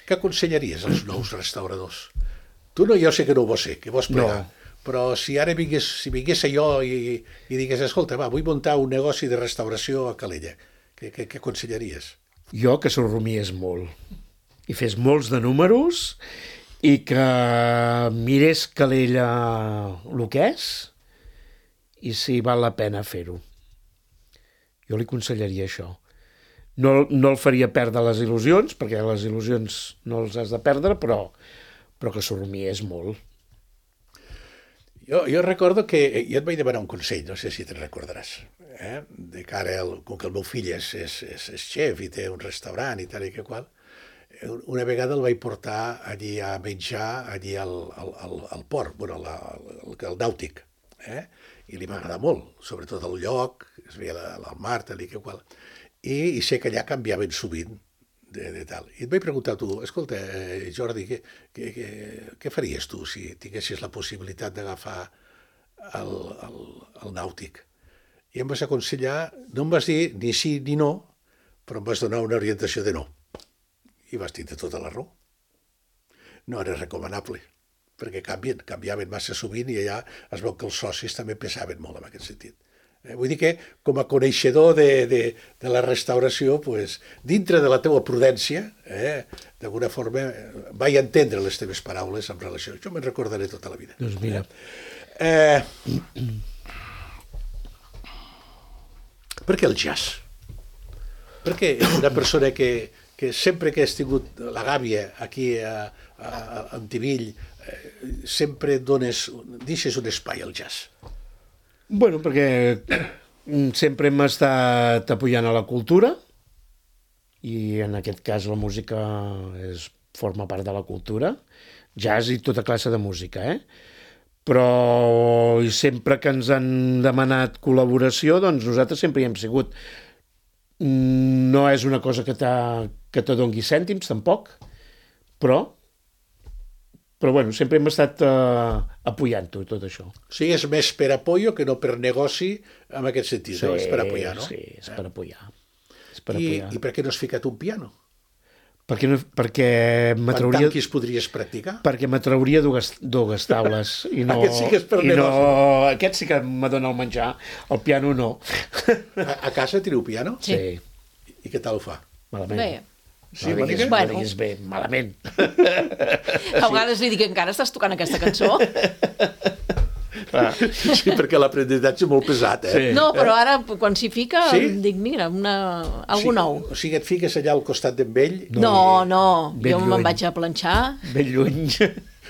B: Què aconsellaries als nous restauradors? Tu no, jo sé que no ho vols ser, que vols plegar. No. Però si ara vingués, si vingués jo i, i digués, escolta, va, vull muntar un negoci de restauració a Calella, què, què, què aconsellaries?
D: Jo que s'ho rumies molt i fes molts de números i que mirés Calella el que és i si val la pena fer-ho. Jo li aconsellaria això. No, no el faria perdre les il·lusions, perquè les il·lusions no els has de perdre, però, però que s'ho rumies molt.
B: Jo, jo recordo que jo et vaig demanar un consell, no sé si te'n recordaràs, eh? De cara al, com que el meu fill és, és, és, és xef i té un restaurant i tal i que qual, una vegada el vaig portar allí a menjar allí al, al, al, al port, bueno, la, el, el nàutic, eh? I li va agradar molt, sobretot el lloc, es veia la, la mar, tal i que qual, i, i sé que allà canviaven sovint de, de tal. I et vaig preguntar a tu, escolta, eh, Jordi, què, què, què, què faries tu si tinguessis la possibilitat d'agafar el, el, el nàutic? I em vas aconsellar, no em vas dir ni sí ni no, però em vas donar una orientació de no. I vas tindre tota la raó. No era recomanable, perquè canvien, canviaven massa sovint i allà es veu que els socis també pesaven molt en aquest sentit. Eh, vull dir que, com a coneixedor de, de, de la restauració, pues, dintre de la teua prudència, eh, d'alguna forma, vaig entendre les teves paraules en relació. Jo me'n recordaré tota la vida.
D: Doncs mira.
B: Eh, per què el jazz? Perquè una persona que, que sempre que has tingut la gàbia aquí a, a, a Antivill, eh, sempre dones, deixes un espai al jazz.
D: Bueno, perquè sempre hem estat apoyant a la cultura i en aquest cas la música és, forma part de la cultura, jazz i tota classe de música, eh? Però sempre que ens han demanat col·laboració, doncs nosaltres sempre hi hem sigut. No és una cosa que, que te dongui cèntims, tampoc, però Però bueno, sempre hem estat uh, apoyant-ho, tot això.
B: O sigui, és més per apoyo que no per negoci en aquest sentit,
D: sí,
B: no? És per apoyar, no?
D: Sí, és per apoyar. És per
B: I,
D: apoyar.
B: I per què no has ficat un piano?
D: Perquè, no, perquè
B: Quan tanquis podries practicar?
D: Perquè m'atrauria dues, dues taules. I no,
B: aquest sí que és per
D: i
B: negoci.
D: No, aquest sí que m'adona el menjar, el piano no.
B: A, a casa teniu piano?
C: Sí.
B: I, I què tal ho fa?
D: Malament.
C: Bé.
B: Sí,
D: no diguis,
C: bueno.
D: no diguis bé, malament.
C: A vegades li dic, encara estàs tocant aquesta cançó?
B: Sí, perquè l'aprenentatge és molt pesat, eh?
D: Sí.
C: No, però ara, quan s'hi fica,
B: Sí?
C: dic, mira, una,
B: O
C: algú
B: sigui,
C: nou.
B: O sigui, et fiques allà al costat d'en ell?
C: No, no,
D: ben
C: jo
D: lluny.
C: me'n vaig a planxar.
D: Ben lluny.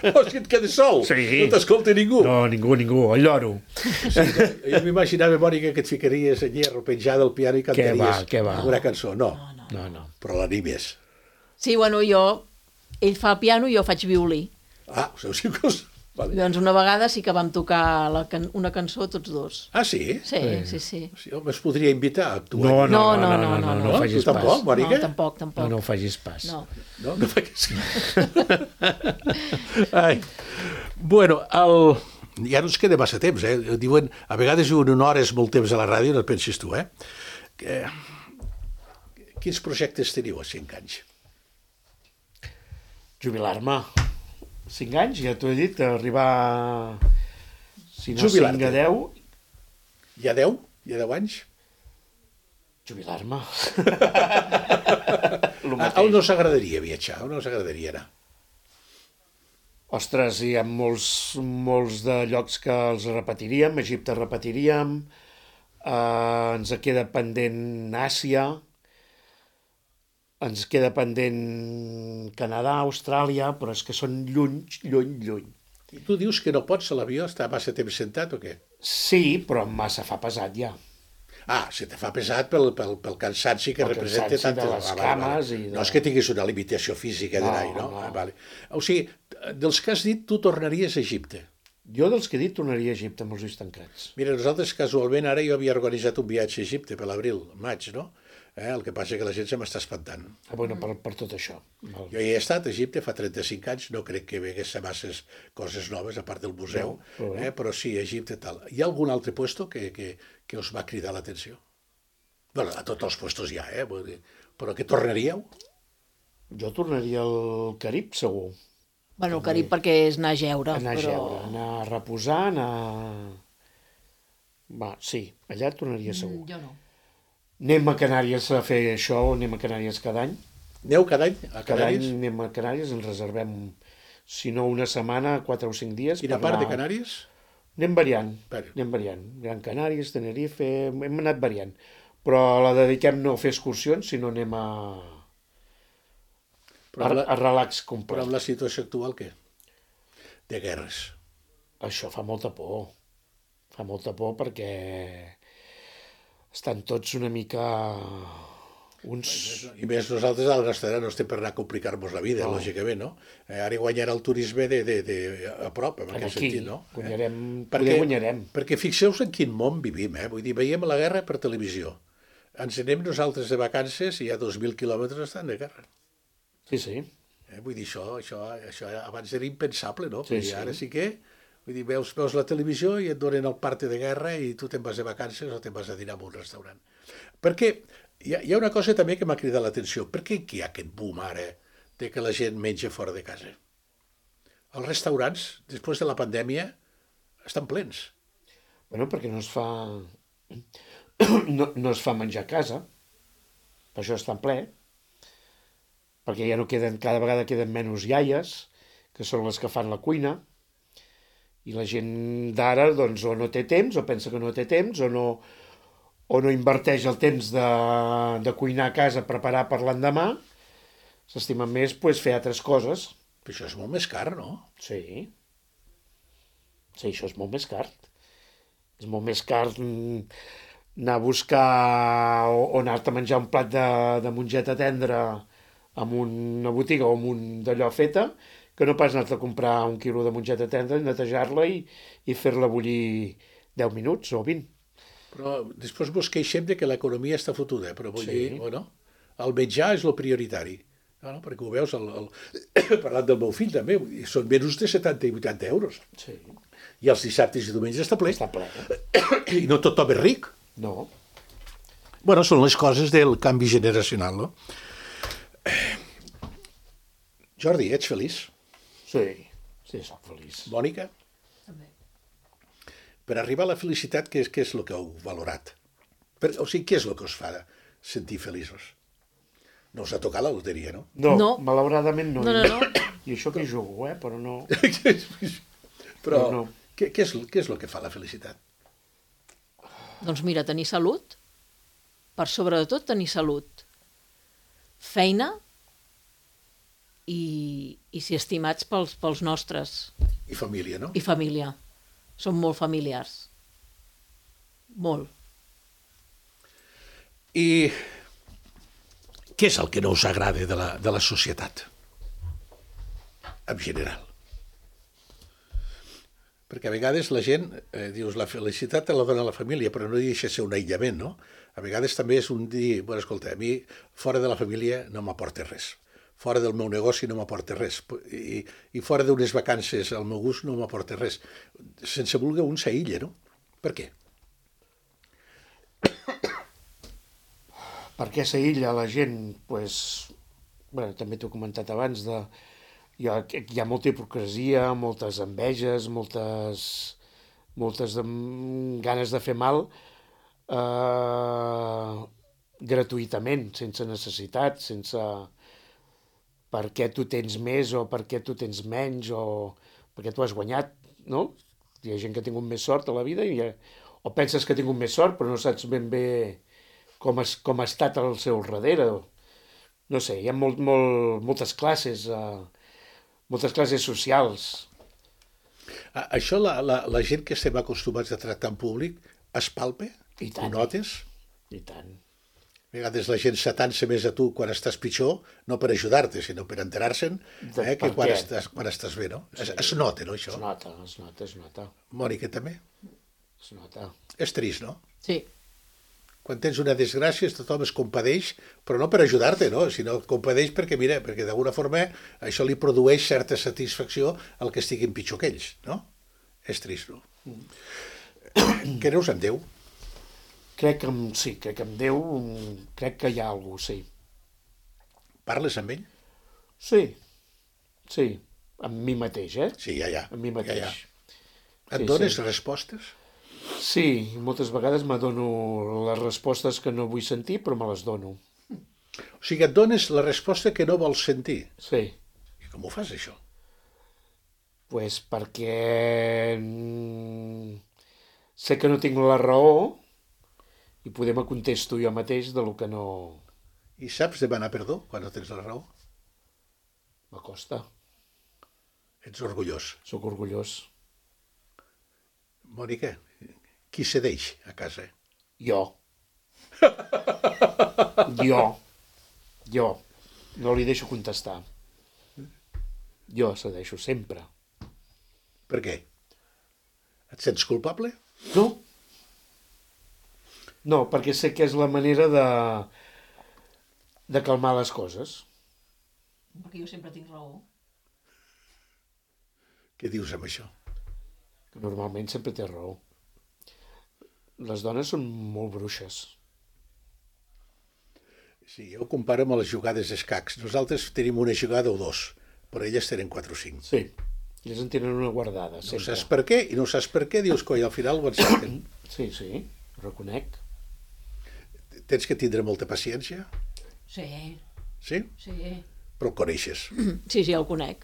B: O sigui, et quedes sol?
D: Sí.
B: No t'escolta ningú?
D: No, ningú, ningú, el lloro.
B: Sí, jo m'imaginava, Mònica, que et ficaries allà arropenjada al piano i cantaries
D: va, què va.
B: una cançó. No,
D: No, no.
B: però l'animes.
C: Sí, bueno, jo, ell fa piano i jo faig violí.
B: Ah, o sigui, cosa... Vale.
C: Doncs una vegada sí que vam tocar la can una cançó tots dos.
B: Ah, sí?
C: Sí, sí, sí.
B: Sí, home, es podria invitar a actuar.
D: No,
B: aquí.
D: no,
C: No,
D: no,
C: no,
D: no, no, no,
C: no,
D: no
B: no.
D: facis
B: Tu tampoc,
D: pas.
B: Mònica?
C: No, tampoc, tampoc.
D: No, no ho facis pas.
C: No.
B: No, no facis... Ai. Bueno, el... ja no ens queda massa temps, eh? Diuen, a vegades diuen una hora és molt temps a la ràdio, no et pensis tu, eh? Que... Quins projectes teniu a cinc anys?
D: Jubilar-me. Cinc anys, ja t'ho he dit, arribar... Si no
B: Jubilar-te.
D: cinc a deu,
B: Hi ha deu? Hi ha deu anys?
D: jubilar-me.
B: A on us agradaria viatjar? A on us agradaria anar?
D: Ostres, hi ha molts, molts de llocs que els repetiríem. Egipte repetiríem, eh, ens queda pendent Àsia, ens queda pendent Canadà, Austràlia, però és que són lluny, lluny, lluny.
B: I tu dius que no pots a l'avió estar massa temps sentat o què?
D: Sí, però massa fa pesat ja.
B: Ah, se te fa pesat pel, pel, pel cansanci que
D: Pel
B: representa
D: cansanci
B: tant...
D: de les
B: Ah, vale,
D: cames
B: vale.
D: i de-
B: No és que tinguis una limitació física
D: No,
B: d'anar-hi, no?
D: no.
B: Ah, vale. O sigui, dels que has dit, tu tornaries a Egipte.
D: Jo dels que he dit tornaria a Egipte amb els ulls tancats.
B: Mira, nosaltres casualment ara jo havia organitzat un viatge a Egipte per l'abril, maig, no? Eh? El que passa és que la gent se m'està espantant.
D: Ah, bueno, per, per tot això. Val.
B: Jo hi he estat a Egipte fa trenta-cinc anys, no crec que vegués masses coses noves, a part del museu,
D: No, però bé.
B: eh? però sí, a Egipte tal. Hi ha algun altre puesto que, que, que us va cridar l'atenció? Bueno, a tots els puestos hi ha, eh? Vull dir, però que tornaríeu?
D: Jo tornaria al Carib, segur.
C: Bueno, el Carib perquè és anar a jeure.
D: Anar a
C: però...
D: jeure, anar a reposar, anar... Va, sí, allà tornaria segur.
C: Mm, jo no.
D: Anem a Canàries a fer això, anem a Canàries cada any.
B: Aneu cada any a
D: Cada any
B: Canàries?
D: anem a Canàries, ens reservem, si no una setmana, quatre o cinc dies.
B: Quina
D: per
B: part de
D: anar-
B: Canàries?
D: Anem variant,
B: Vari.
D: anem variant. Gran Canàries, Tenerife, hem anat variant. Però la dediquem no a fer excursions, sinó anem a,
B: Però
D: a,
B: amb la,
D: a relax
B: però
D: complet.
B: amb la situació actual, què? De guerres.
D: Això fa molta por. Fa molta por perquè estan tots una mica uns...
B: I més nosaltres a la nostra era no estem per anar a complicar-nos la vida,
D: No.
B: lògicament, no? Eh, ara guanyarà el turisme de, de, de, a prop, en aquest
D: Aquí
B: sentit, no?
D: guanyarem,
B: Eh?
D: poder guanyarem.
B: Perquè fixeu-vos en quin món vivim, eh? Vull dir, veiem la guerra per televisió. Ens anem nosaltres de vacances i a dos mil quilòmetres estan de guerra.
D: Sí, sí.
B: Eh? Vull dir, això, això, això abans era impensable, no?
D: Sí,
B: Vull dir,
D: sí.
B: ara sí que... Vull dir, veus, veus la televisió i et donen el parte de guerra i tu te'n vas de vacances o te'n vas a dinar en un restaurant. Perquè hi ha, hi ha una cosa també que m'ha cridat l'atenció. Per què hi ha aquest boom ara de que la gent menja fora de casa? Els restaurants, després de la pandèmia, estan plens.
D: Bueno, perquè no es fa... No, no es fa menjar a casa, per això està en ple, perquè ja no queden, cada vegada queden menys iaies, que són les que fan la cuina, i la gent d'ara doncs, o no té temps, o pensa que no té temps, o no, o no inverteix el temps de, de cuinar a casa, preparar per l'endemà, s'estimen més pues, fer altres coses.
B: Però això és molt més car, no?
D: Sí. Sí, això és molt més car. És molt més car mm, anar a buscar o, o anar-te a menjar un plat de, de mongeta tendra en una botiga o en un d'allò feta, que no pas anar-te a comprar un quilo de mongeta tendra i netejar-la i, i fer-la bullir deu minuts o vint.
B: Però després vos queixem de que l'economia està fotuda, però vull
D: Sí.
B: dir, bueno, el menjar és el prioritari. No, no, perquè ho veus, el, el... parlant del meu fill també, vull dir, són menys de setanta i vuitanta euros.
D: Sí.
B: I els dissabtes i diumenges està ple.
D: Està ple.
B: I no tothom és ric.
D: No.
B: Bueno, són les coses del canvi generacional, no? Jordi, ets feliç?
D: Sí, sí, soc feliç.
B: Mònica?
C: També.
B: Per arribar a la felicitat, què és, què és el que heu valorat? Per, o sigui, què és el que us fa sentir feliços? No us ha tocat la loteria, no?
D: No,
C: No.
D: malauradament no.
C: No, no, no.
D: I això que jugo, eh? Però no...
B: Però
D: No, no.
B: Què, què, és, què és el que fa la felicitat?
C: Doncs mira, tenir salut, per sobre de tot tenir salut, feina i, i ser estimats pels, pels nostres,
B: I família, no?
C: i família. Som molt familiars. Molt.
B: I què és el que no us agrada de la, de la societat? En general. Perquè a vegades la gent, eh, dius, la felicitat te la dona la família, però no deixa de ser un aïllament, no? A vegades també és un dir, bueno, escolta, a mi fora de la família no m'aporta res. Fora del meu negoci no m'aporta res. I, i fora d'unes vacances al meu gust no m'aporta res. Sense voler un s'aïlla, no? Per què?
D: Per què s'aïlla la gent? Pues, bueno, també t'ho he comentat abans, de, hi, ha, hi ha molta hipocresia, moltes enveges, moltes, moltes de, ganes de fer mal eh, gratuïtament, sense necessitat, sense per què tu tens més o per què tu tens menys o perquè tu has guanyat, no? Hi ha gent que ha tingut més sort a la vida i, o penses que ha tingut més sort però no saps ben bé com, es, com ha estat al seu darrere. No sé, hi ha molt, molt, moltes classes, eh, moltes classes socials.
B: A- Això la, la, la gent que estem acostumats a tractar en públic es palpa?
D: I tant.
B: Ho notes?
D: I tant.
B: A vegades la gent s'atansa més a tu quan estàs pitjor, no per ajudar-te, sinó per enterar-se'n, eh, que quan estàs, quan estàs bé, no? Es, es nota, no, això?
D: Es nota, es nota, es nota.
B: Mònica, també?
D: Es nota.
B: És trist, no?
C: Sí.
B: Quan tens una desgràcia, tothom es compadeix, però no per ajudar-te, no? Sinó et compadeix perquè, mira, perquè d'alguna forma això li produeix certa satisfacció al que estiguin pitjor que ells, no? És trist, no? Mm. Creus en Déu?
D: Crec que amb, sí, crec que amb Déu, crec que hi ha algú, sí.
B: Parles amb ell?
D: Sí, sí, amb mi mateix, eh?
B: Sí, ja, ja.
D: Amb mi mateix.
B: Ja, ja. Et
D: Sí,
B: dones
D: sí.
B: respostes?
D: Sí, moltes vegades m'adono les respostes que no vull sentir, però me les dono.
B: O sigui, et dones la resposta que no vols sentir.
D: Sí,
B: I com ho fas, això?
D: pues perquè mm, sé que no tinc la raó i poder me contesto jo mateix de lo que no
B: I saps demanar perdó quan no tens la raó?
D: m'acosta.
B: Ets orgullós.
D: Soc orgullós.
B: Mònica, qui cedeix a casa?
D: Jo. Jo. Jo. No li deixo contestar. Jo cedeixo sempre.
B: Per què? Et sents culpable?
D: No. No, perquè sé que és la manera de, de calmar les coses.
C: Perquè jo sempre tinc raó.
B: Què dius amb això?
D: Que normalment sempre té raó. Les dones són molt bruixes.
B: Sí, jo ho comparo amb les jugades d'escacs. Nosaltres tenim una jugada o dos, però elles tenen quatre o cinc.
D: Sí, elles en tenen una guardada,
B: No
D: sempre.
B: saps per què, i no saps per què, dius, coi, al final ho encerten.
D: Sí, sí, ho reconec.
B: Tens que tindre molta paciència,
C: Sí,
B: sí?
C: sí.
B: Però el coneixes.
C: Sí, sí, el conec.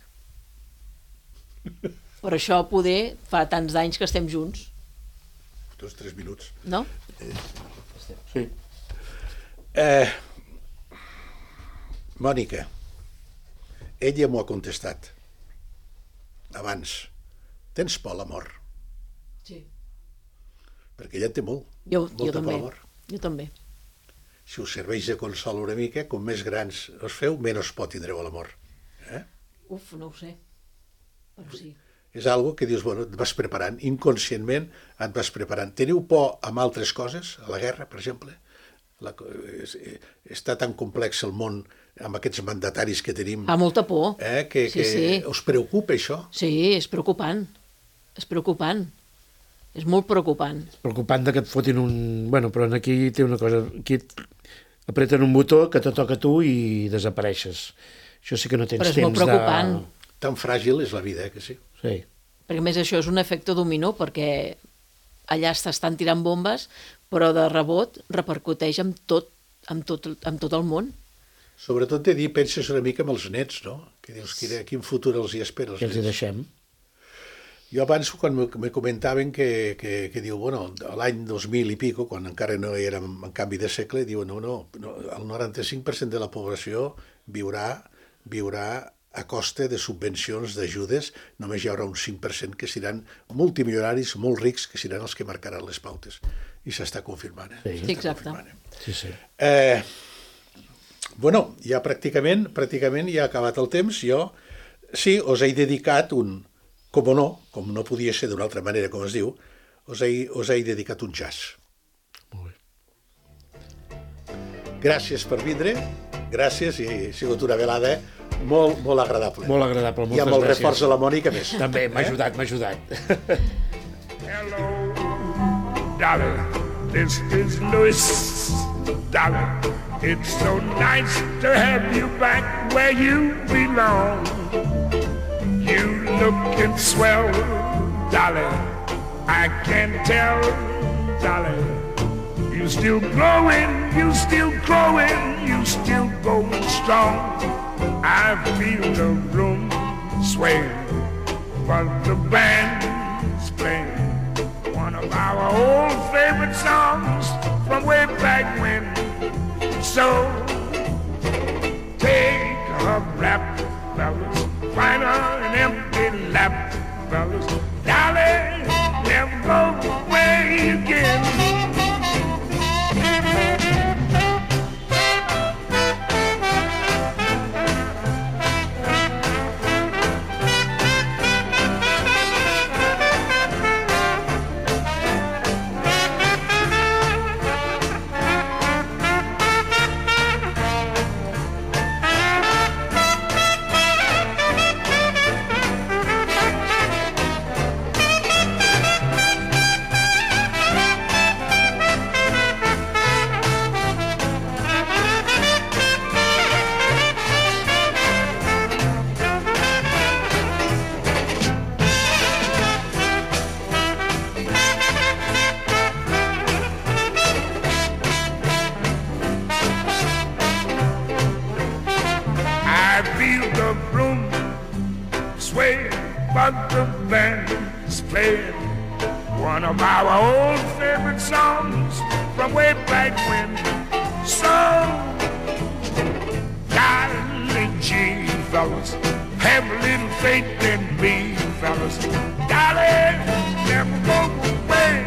C: Per això poder fa tants d'anys que estem junts,
B: Dos, tres minuts.
C: no?
D: Sí.
B: Eh, Mònica, ella m'ho ha contestat abans. Tens por a la mort?
C: Sí.
B: Perquè ella en té molt.
C: Jo,
B: molta
C: jo
B: por a
C: també.
B: la mort.
C: Jo també.
B: Si us serveix de consol una mica, com més grans us feu, menys por tindreu a la mort. Eh?
C: Uf, no ho sé. Però sí.
B: És algo que dius, bueno, et vas preparant, inconscientment et vas preparant. Teniu por amb altres coses, a la guerra, per exemple? La, és, està tan complex el món amb aquests mandataris que tenim,
C: Fa molta por.
B: eh, que,
C: Sí,
B: que
C: sí.
B: us preocupa això?
C: Sí, és preocupant. És preocupant. És molt preocupant.
D: Preocupant de que et fotin un... Bueno, però aquí té una cosa... Aquí et apreten un botó que te toca a tu i desapareixes. Això sí que no tens
C: Però és
D: temps
C: molt preocupant.
D: de...
B: Tan fràgil és la vida, eh, que sí?
D: Sí.
C: Perquè a més això és un efecte dominó, perquè allà t'estan tirant bombes, però de rebot repercuteix amb tot, amb tot, amb tot el món.
B: Sobretot de dir, penses una mica amb els nets, no? Que dius, quin, quin futur els hi espera als
D: I els hi
B: nets.
D: deixem.
B: Jo abans, quan me me comentaven que, que, que diu, bueno, l'any dos mil i pico, quan encara no érem en canvi de segle, diu, no, no, no, el noranta-cinc per cent de la població viurà, viurà a costa de subvencions, d'ajudes, només hi haurà un cinc per cent que seran multimilionaris, molt rics, que seran els que marcaran les pautes. I s'està confirmant, eh?
D: Sí.
B: S'està
C: Sí, exacte.
B: confirmant, eh?
D: Sí, sí.
B: Eh, bueno, ja pràcticament, pràcticament ja ha acabat el temps. Jo sí, us he dedicat un, com no, com no podia ser d'una altra manera, com es diu, us he, us he dedicat un jazz.
D: Molt bé.
B: Gràcies per vindre, gràcies, i ha sigut una velada molt, molt agradable.
D: Molt agradable,
B: I
D: moltes
B: amb el
D: gràcies.
B: reforç de la Mònica més.
D: També, m'ha
B: Eh?
D: ajudat, m'ha ajudat.
E: Hello, darling. This is Louis, darling. It's so nice to have you back where you belong. You looking swell, darling. I can tell, darling. You still growing, you still growing, you still going strong. I feel the room sway, but the band's playing one of our old favorite songs from way back when. So take a rap, fellas, find her an empty lap, fellas. Darling, never go away again. but the band is playing one of our old favorite songs from way back when. So, darling G, fellas, have a little faith in me, fellas. Darling, never go away.